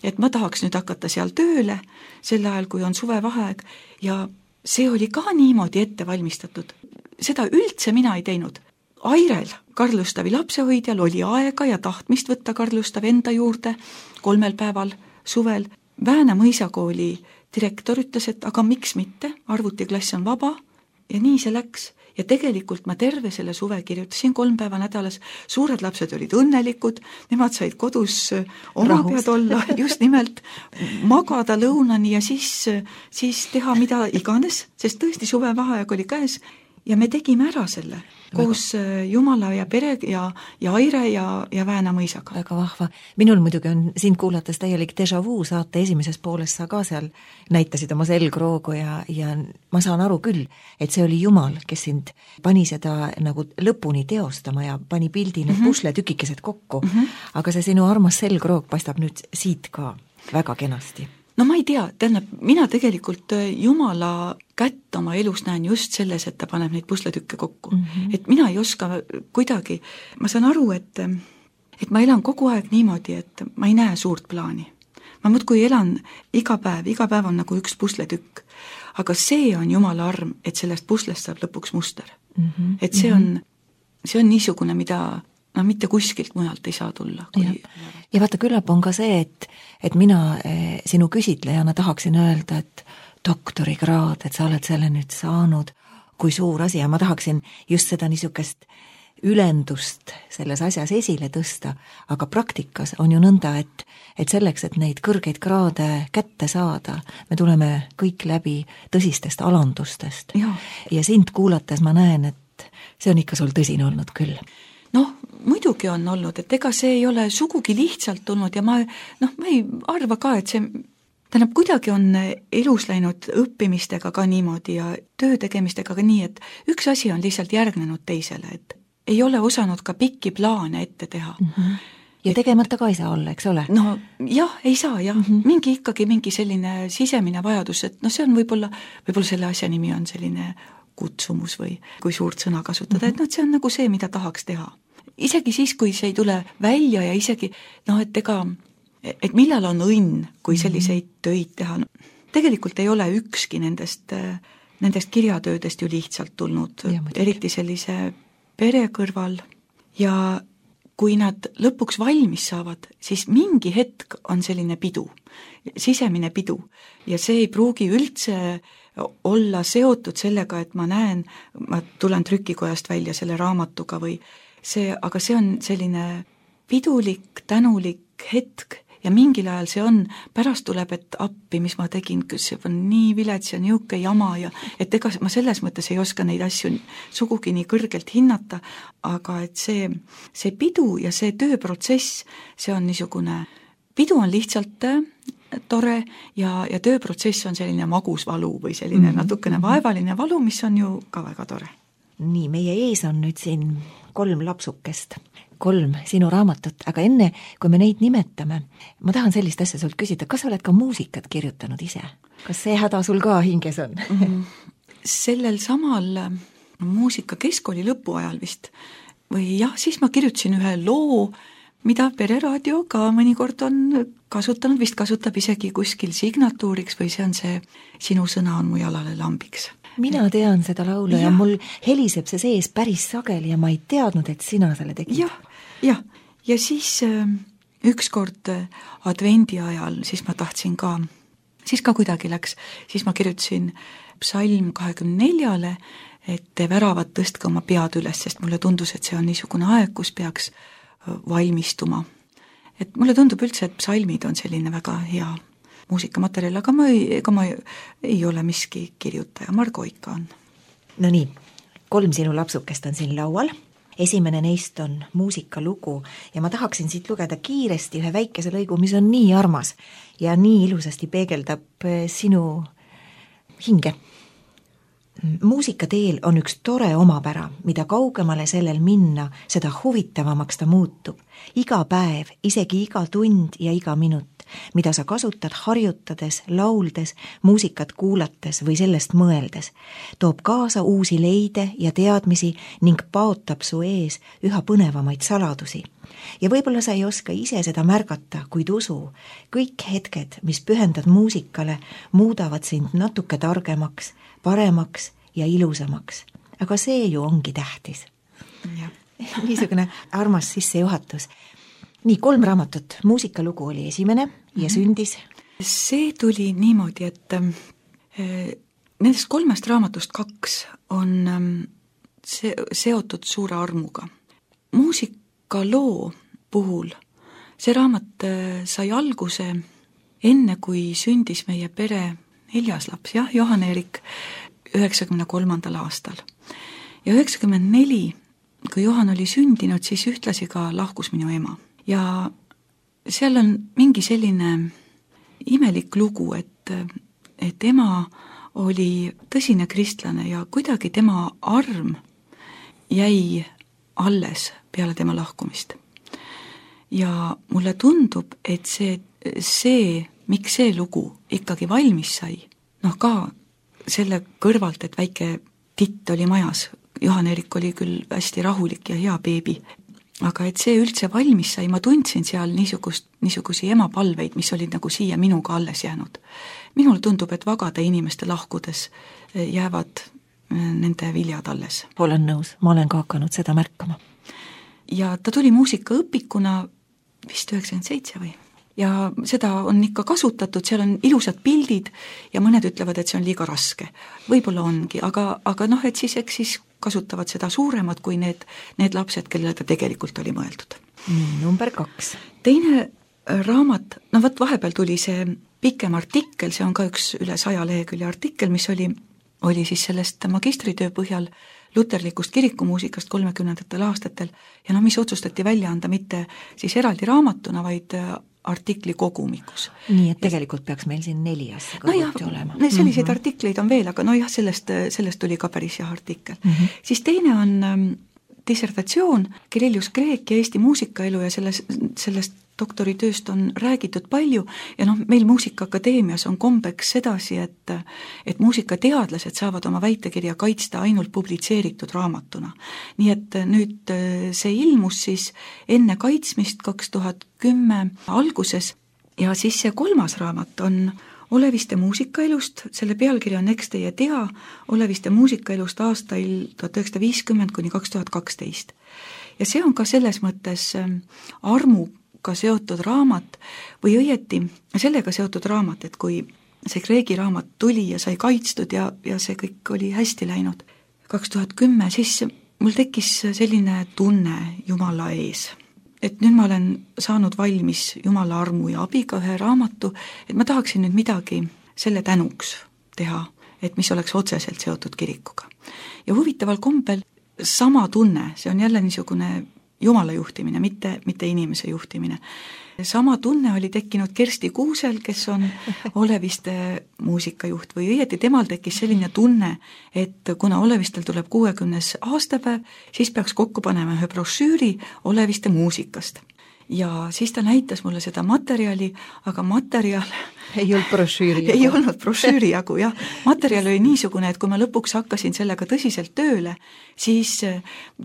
et ma tahaks nüüd hakata seal tööle sel ajal, kui on suvevaheaeg ja see oli ka niimoodi ette valmistatud. Seda üldse mina ei teinud. Airel, Karlustavi lapsehoidjal, oli aega ja tahtmist võtta Karlustav enda juurde kolmel päeval suvel. Vääna mõisakooli direktor ütles, et aga miks mitte, arvutiklass on vaba ja nii see läks. Ja tegelikult ma terve selle suve kirjutasin kolm päeva nädalas, suured lapsed olid õnnelikud, nemad said kodus oma pead olla, just nimelt magada lõunani ja siis, siis teha mida iganes, sest tõesti suvevaheaeg oli käes ja me tegime ära selle koos Jumala ja pere ja, ja Aire ja, ja Vääna mõisaga. Väga vahva. Minul muidugi on sind kuulates täielik déjà vu saate esimeses pooles sa ka seal näitasid oma selgroogu ja, ja ma saan aru küll, et see oli Jumal, kes sind pani seda nagu lõpuni teostama ja pani pildi need mm -hmm. pusletükikesed kokku, mm -hmm. aga see sinu armas selgroog paistab nüüd siit ka väga kenasti. No ma ei tea, tähendab, mina tegelikult Jumala kätt oma elus näen just selles, et ta paneb neid pusletükke kokku. Mm -hmm. Et mina ei oska kuidagi, ma saan aru, et, et ma elan kogu aeg niimoodi, et ma ei näe suurt plaani. Ma muudkui elan iga päev, iga päev on nagu üks pusletükk. Aga see on Jumala arm, et sellest puslest saab lõpuks muster. Mm -hmm. Et see on, see on niisugune, mida no mitte kuskilt mujalt ei saa tulla. Kui... Ja. ja vaata, küllap on ka see, et, et mina eh, sinu küsitlejana tahaksin öelda, et doktorikraad, et sa oled selle nüüd saanud, kui suur asi ja ma tahaksin just seda niisugust ülendust selles asjas esile tõsta, aga praktikas on ju nõnda, et, et selleks, et neid kõrgeid kraade kätte saada, me tuleme kõik läbi tõsistest alandustest. Ja, ja sind kuulates ma näen, et see on ikka sul tõsine olnud küll. Noh, muidugi on olnud, et ega see ei ole sugugi lihtsalt tulnud ja ma, noh, ma ei arva ka, et see, tähendab, kuidagi on elus läinud õppimistega ka niimoodi ja töö tegemistega ka nii, et üks asi on lihtsalt järgnenud teisele, et ei ole osanud ka pikki plaane ette teha. Mm -hmm. Ja tegemata ka ei saa olla, eks ole? No jah, ei saa jah, mm -hmm. mingi ikkagi mingi selline sisemine vajadus, et noh, see on võib-olla, võib-olla selle asja nimi on selline kutsumus või kui suurt sõna kasutada, et noh, see on nagu see, mida tahaks teha. Isegi siis, kui see ei tule välja ja isegi, noh, et ega, et millal on õnn, kui selliseid töid teha. No, tegelikult ei ole ükski nendest, nendest kirjatöödest ju lihtsalt tulnud, ja, eriti sellise pere kõrval ja kui nad lõpuks valmis saavad, siis mingi hetk on selline pidu, sisemine pidu ja see ei pruugi üldse olla seotud sellega, et ma näen, ma tulen trükikojast välja selle raamatuga või see, aga see on selline pidulik, tänulik hetk ja mingil ajal see on, pärast tuleb, et appi, mis ma tegin, see on nii vilets ja niuke jama ja et ega ma selles mõttes ei oska neid asju sugugi nii kõrgelt hinnata, aga et see, see pidu ja see tööprotsess, see on niisugune, pidu on lihtsalt tore ja, ja tööprotsess on selline magus valu või selline mm -hmm. natukene vaevaline valu, mis on ju ka väga tore. Nii, meie ees on nüüd siin kolm lapsukest, kolm sinu raamatut, aga enne, kui me neid nimetame, ma tahan sellist asja sult küsida, kas sa oled ka muusikat kirjutanud ise? Kas see häda sul ka hinges on? mm, sellel samal muusika keskkooli lõpuajal vist või jah, siis ma kirjutasin ühe loo, mida Pereraadio ka mõnikord on kasutanud, vist kasutab isegi kuskil signatuuriks või see on see Sinu sõna on mu jalale lambiks. Mina tean seda laulu ja, ja mul heliseb see sees päris sageli ja ma ei teadnud, et sina selle tegid. jah, jah, ja siis äh, ükskord advendi ajal, siis ma tahtsin ka, siis ka kuidagi läks, siis ma kirjutasin psalm kahekümne neljale, et väravad tõstke oma pead üles, sest mulle tundus, et see on niisugune aeg, kus peaks valmistuma. Et mulle tundub üldse, et psalmid on selline väga hea muusikamaterjal, aga ma ei, ega ma ei, ei ole miski kirjutaja, Margo ikka on. No nii, kolm sinu lapsukest on siin laual. Esimene neist on muusikalugu ja ma tahaksin siit lugeda kiiresti ühe väikese lõigu, mis on nii armas ja nii ilusasti peegeldab sinu hinge. Muusikateel on üks tore omapära, mida kaugemale sellel minna, seda huvitavamaks ta muutub. Iga päev, isegi iga tund ja iga minut, mida sa kasutad harjutades, lauldes, muusikat kuulates või sellest mõeldes, toob kaasa uusi leide ja teadmisi ning paotab su ees üha põnevamaid saladusi. Ja võib-olla sa ei oska ise seda märgata, kuid usu, kõik hetked, mis pühendad muusikale, muudavad sind natuke targemaks, paremaks ja ilusamaks. Aga see ju ongi tähtis. Niisugune armas sissejuhatus. Nii, kolm raamatut. Muusikalugu oli esimene ja sündis. See tuli niimoodi, et äh, nendest kolmest raamatust kaks on ähm, se- seotud suure armuga. Muusikaloo puhul see raamat äh, sai alguse enne, kui sündis meie pere neljas laps, jah, Johan-Erik üheksakümne kolmandal aastal. Ja üheksakümmend neli, kui Johan oli sündinud, siis ühtlasi ka lahkus minu ema. Ja seal on mingi selline imelik lugu, et, et ema oli tõsine kristlane ja kuidagi tema arm jäi alles peale tema lahkumist. Ja mulle tundub, et see, see miks see lugu ikkagi valmis sai, noh ka selle kõrvalt, et väike titt oli majas, Johan-Erik oli küll hästi rahulik ja hea beebi, aga et see üldse valmis sai, ma tundsin seal niisugust, niisugusi emapalveid, mis olid nagu siia minuga alles jäänud. Minul tundub, et vagade inimeste lahkudes jäävad nende viljad alles. Olen nõus, ma olen ka hakanud seda märkama. Ja ta tuli muusikaõpikuna vist üheksakümmend seitse või? Ja seda on ikka kasutatud, seal on ilusad pildid ja mõned ütlevad, et see on liiga raske. Võib-olla ongi, aga, aga noh, et siis, eks siis kasutavad seda suuremad kui need, need lapsed, kellele ta tegelikult oli mõeldud. Number kaks. Teine raamat, no võt vahepeal tuli see pikem artikkel, see on ka üks üle saja lehekülje artikkel, mis oli, oli siis sellest magistritöö põhjal luterlikust kirikumuusikast kolmekümnendatel aastatel ja no mis otsustati välja anda mitte siis eraldi raamatuna, vaid artikli kogumikus. Nii, et tegelikult peaks meil siin neli asja kõrvuti no olema. Selliseid mm-hmm. artikleid on veel, aga no jah, sellest, sellest tuli ka päris hea artikkel. Mm-hmm. Siis teine on ähm, dissertatsioon Kirillus Kreek ja Eesti muusikaelu ja selles, sellest doktoritööst on räägitud palju ja noh, meil Muusikaakadeemias on kombeks sedasi, et, et muusikateadlased saavad oma väitekirja kaitsta ainult publitseeritud raamatuna. Nii et nüüd see ilmus siis enne kaitsmist kaks tuhat kümme alguses ja siis see kolmas raamat on Oleviste muusikaelust, selle pealkiri on Eks teie tea, Oleviste muusikaelust aastail tuhat üheksasada viiskümmend kuni kaks tuhat kaksteist. Ja see on ka selles mõttes armu ka seotud raamat või õieti sellega seotud raamat, et kui see Kreegi raamat tuli ja sai kaitstud ja, ja see kõik oli hästi läinud kaks tuhat kümme, siis mul tekkis selline tunne Jumala ees, et nüüd ma olen saanud valmis Jumala armu ja abiga ühe raamatu, et ma tahaksin nüüd midagi selle tänuks teha, et mis oleks otseselt seotud kirikuga. Ja huvitaval kombel sama tunne, see on jälle niisugune Jumala juhtimine, mitte, mitte inimese juhtimine. Sama tunne oli tekkinud Kersti Kuusel, kes on Oleviste muusikajuht või õieti temal tekkis selline tunne, et kuna Olevistel tuleb kuuekümnes aastapäev, siis peaks kokku panema ühe brošüüri Oleviste muusikast. Ja siis ta näitas mulle seda materjali, aga materjal ei olnud brošüüri jagu. Ei olnud brošüüri jagu, jah. Materjal oli niisugune, et kui ma lõpuks hakkasin sellega tõsiselt tööle, siis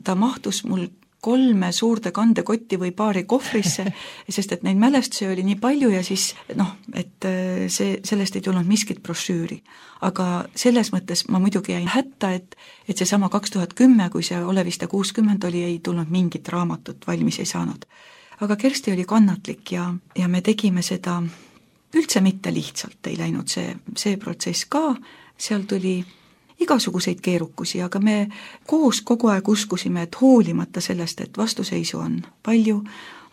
ta mahtus mul kolme suurde kandekotti või paari kohvrisse, sest et neid mälestusi oli nii palju ja siis noh, et see, sellest ei tulnud miskit brošüüri. Aga selles mõttes ma muidugi jäin hätta, et, et see sama kaks tuhat kümme, kui see Oleviste kuuskümmend oli, ei tulnud mingit raamatut, valmis ei saanud. Aga Kersti oli kannatlik ja, ja me tegime seda üldse mitte lihtsalt, ei läinud see, see protsess ka, seal tuli igasuguseid keerukusi, aga me koos kogu aeg uskusime, et hoolimata sellest, et vastuseisu on palju,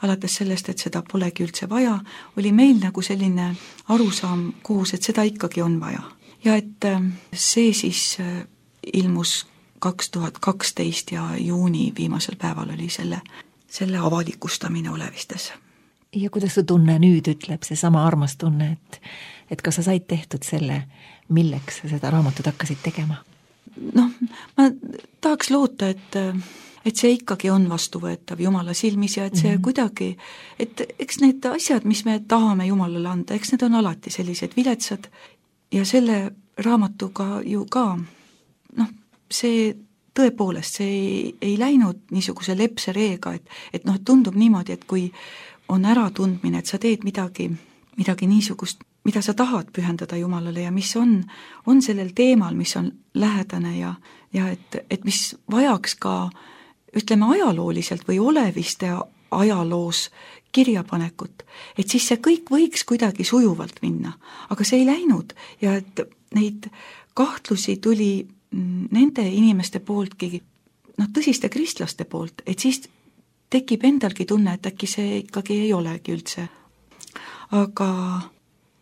alates sellest, et seda polegi üldse vaja, oli meil nagu selline arusaam koos, et seda ikkagi on vaja. Ja et see siis ilmus kaks tuhat kaksteist ja juuni viimasel päeval oli selle, selle avalikustamine Olevistes. Ja kuidas su tunne nüüd ütleb, see sama armas tunne, et, et kas sa said tehtud selle, milleks sa seda raamatut hakkasid tegema? Noh, ma tahaks loota, et, et see ikkagi on vastuvõetav Jumala silmis ja et see mm-hmm. kuidagi, et eks need asjad, mis me tahame Jumalale anda, eks need on alati sellised viletsad ja selle raamatuga ju ka, noh, see tõepoolest, see ei, ei läinud niisuguse lepse reega, et, et noh, tundub niimoodi, et kui on äratundmine, et sa teed midagi, midagi niisugust, mida sa tahad pühendada Jumalale ja mis on, on sellel teemal, mis on lähedane ja, ja et, et mis vajaks ka, ütleme, ajalooliselt või Oleviste ajaloos kirjapanekut, et siis see kõik võiks kuidagi sujuvalt minna, aga see ei läinud ja et neid kahtlusi tuli nende inimeste pooltki, noh, tõsiste kristlaste poolt, et siis tekib endalgi tunne, et äkki see ikkagi ei olegi üldse. Aga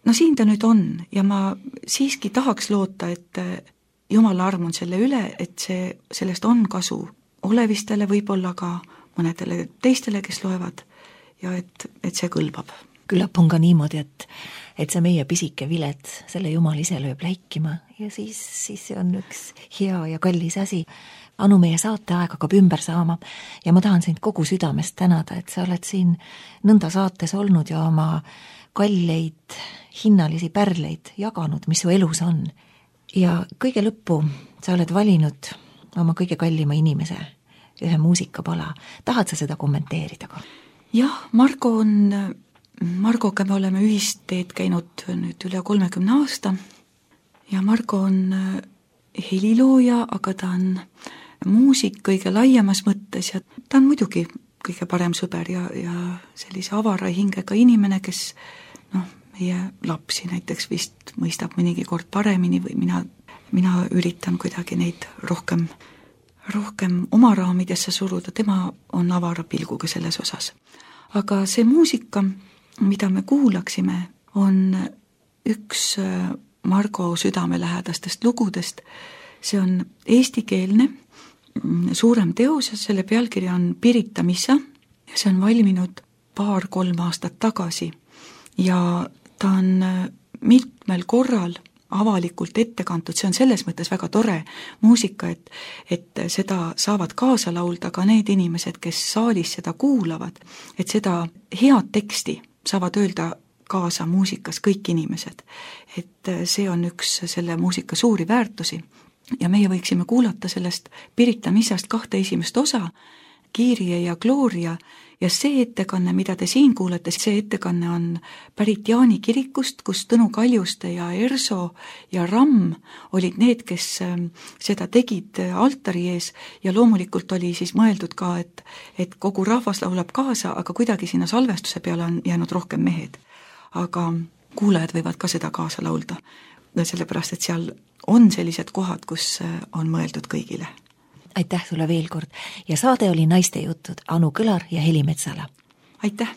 no siin ta nüüd on ja ma siiski tahaks loota, et Jumala arm on selle üle, et see, sellest on kasu Olevistele, võib-olla ka mõnedele teistele, kes loevad ja et, et see kõlbab. Küllap on ka niimoodi, et, et see meie pisike vilet, selle Jumal ise lööb läikima ja siis, siis see on üks hea ja kallis asi. Anu, meie saateaeg hakkab ümber saama ja ma tahan sind kogu südamest tänada, et sa oled siin nõnda saates olnud ja oma kalleid hinnalisi pärleid jaganud, mis su elus on. Ja kõige lõppu sa oled valinud oma kõige kallima inimese, ühe muusikapala. Tahad sa seda kommenteerida ka? Jah, Margo on, Margoga me oleme ühisteed käinud nüüd üle kolmekümne aasta ja Margo on helilooja, aga ta on muusik kõige laiemas mõttes ja ta on muidugi kõige parem sõber ja, ja sellise avara hingega inimene, kes noh, meie lapsi näiteks vist mõistab mõnigi kord paremini või mina, mina üritan kuidagi neid rohkem, rohkem oma raamidesse suruda, tema on avara pilguga selles osas. Aga see muusika, mida me kuulaksime, on üks Margo südamelähedastest lugudest, see on eestikeelne, suurem teos ja selle pealkiri on Pirita missa ja see on valminud paar-kolm aastat tagasi ja ta on mitmel korral avalikult ette kantud, see on selles mõttes väga tore muusika, et, et seda saavad kaasa laulda ka need inimesed, kes saalis seda kuulavad, et seda head teksti saavad öelda kaasa muusikas kõik inimesed, et see on üks selle muusika suuri väärtusi. Ja meie võiksime kuulata sellest Pirita missast kahte esimest osa, Kyrie ja Gloria, ja see ettekanne, mida te siin kuulete, see ettekanne on pärit Jaani kirikust, kus Tõnu Kaljuste ja Erso ja Ramm olid need, kes seda tegid altari ees ja loomulikult oli siis mõeldud ka, et, et kogu rahvas laulab kaasa, aga kuidagi sinna salvestuse peale on jäänud rohkem mehed. Aga kuulajad võivad ka seda kaasa laulda, sellepärast et seal on sellised kohad, kus on mõeldud kõigile. Aitäh sulle veel kord ja saade oli Naiste jutud Anu Kõlar ja Heli Metsala. Aitäh!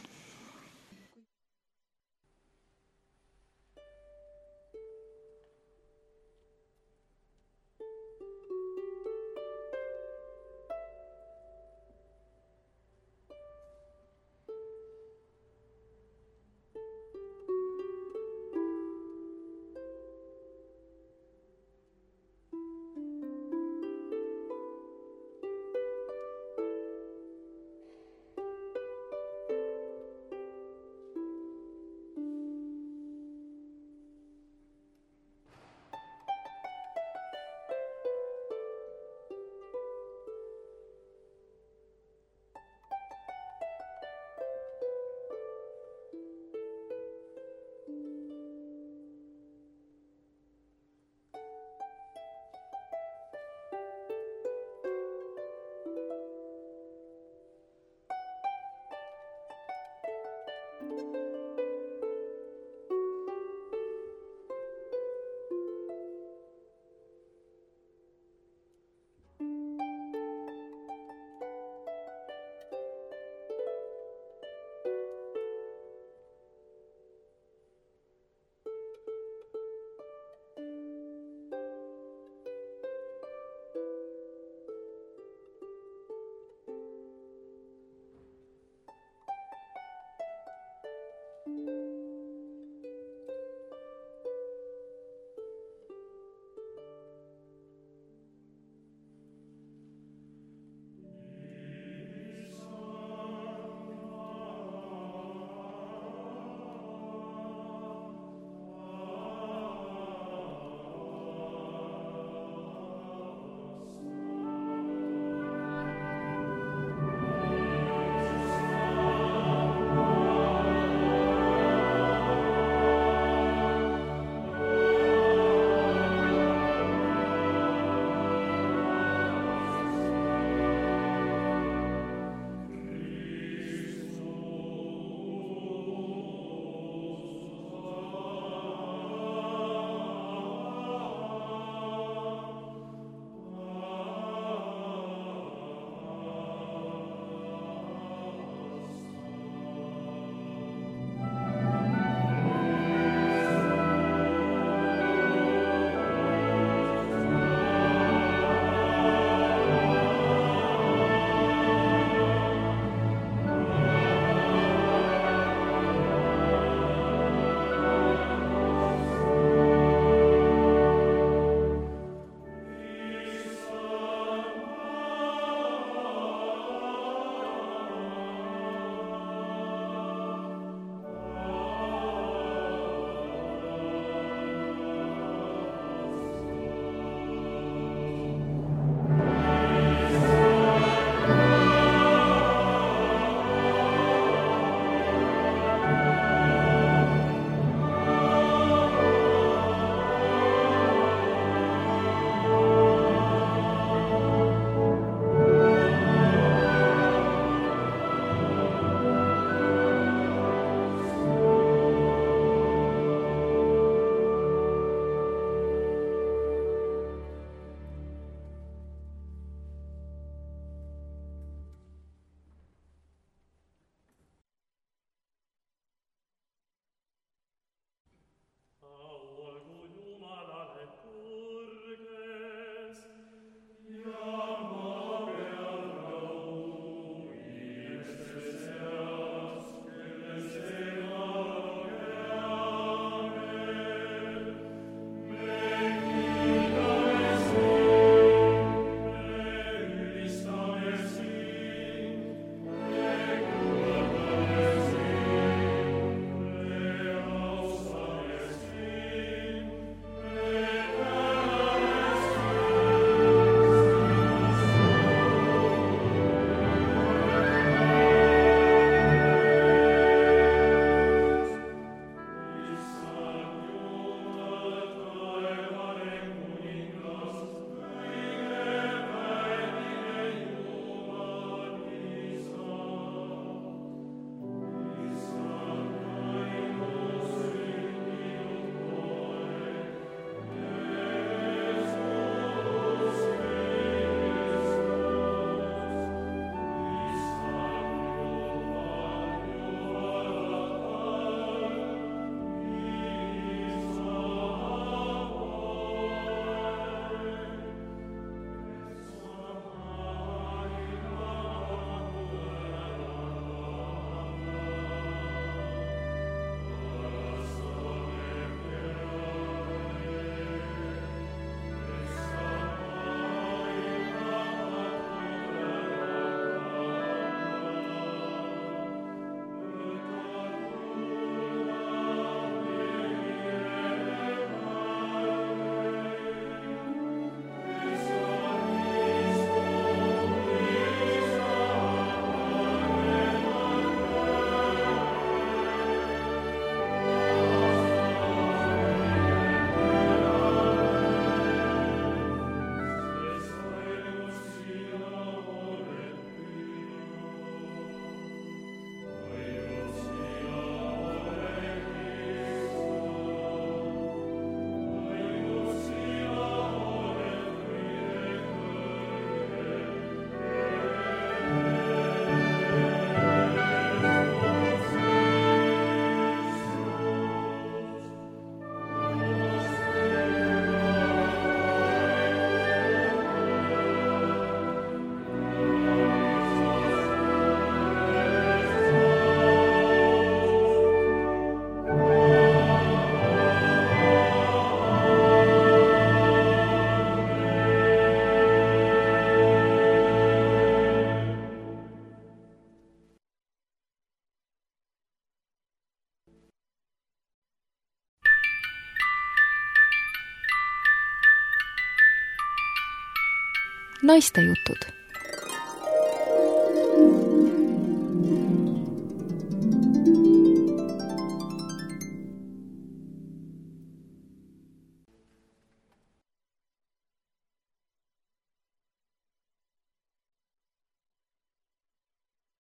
naistejutud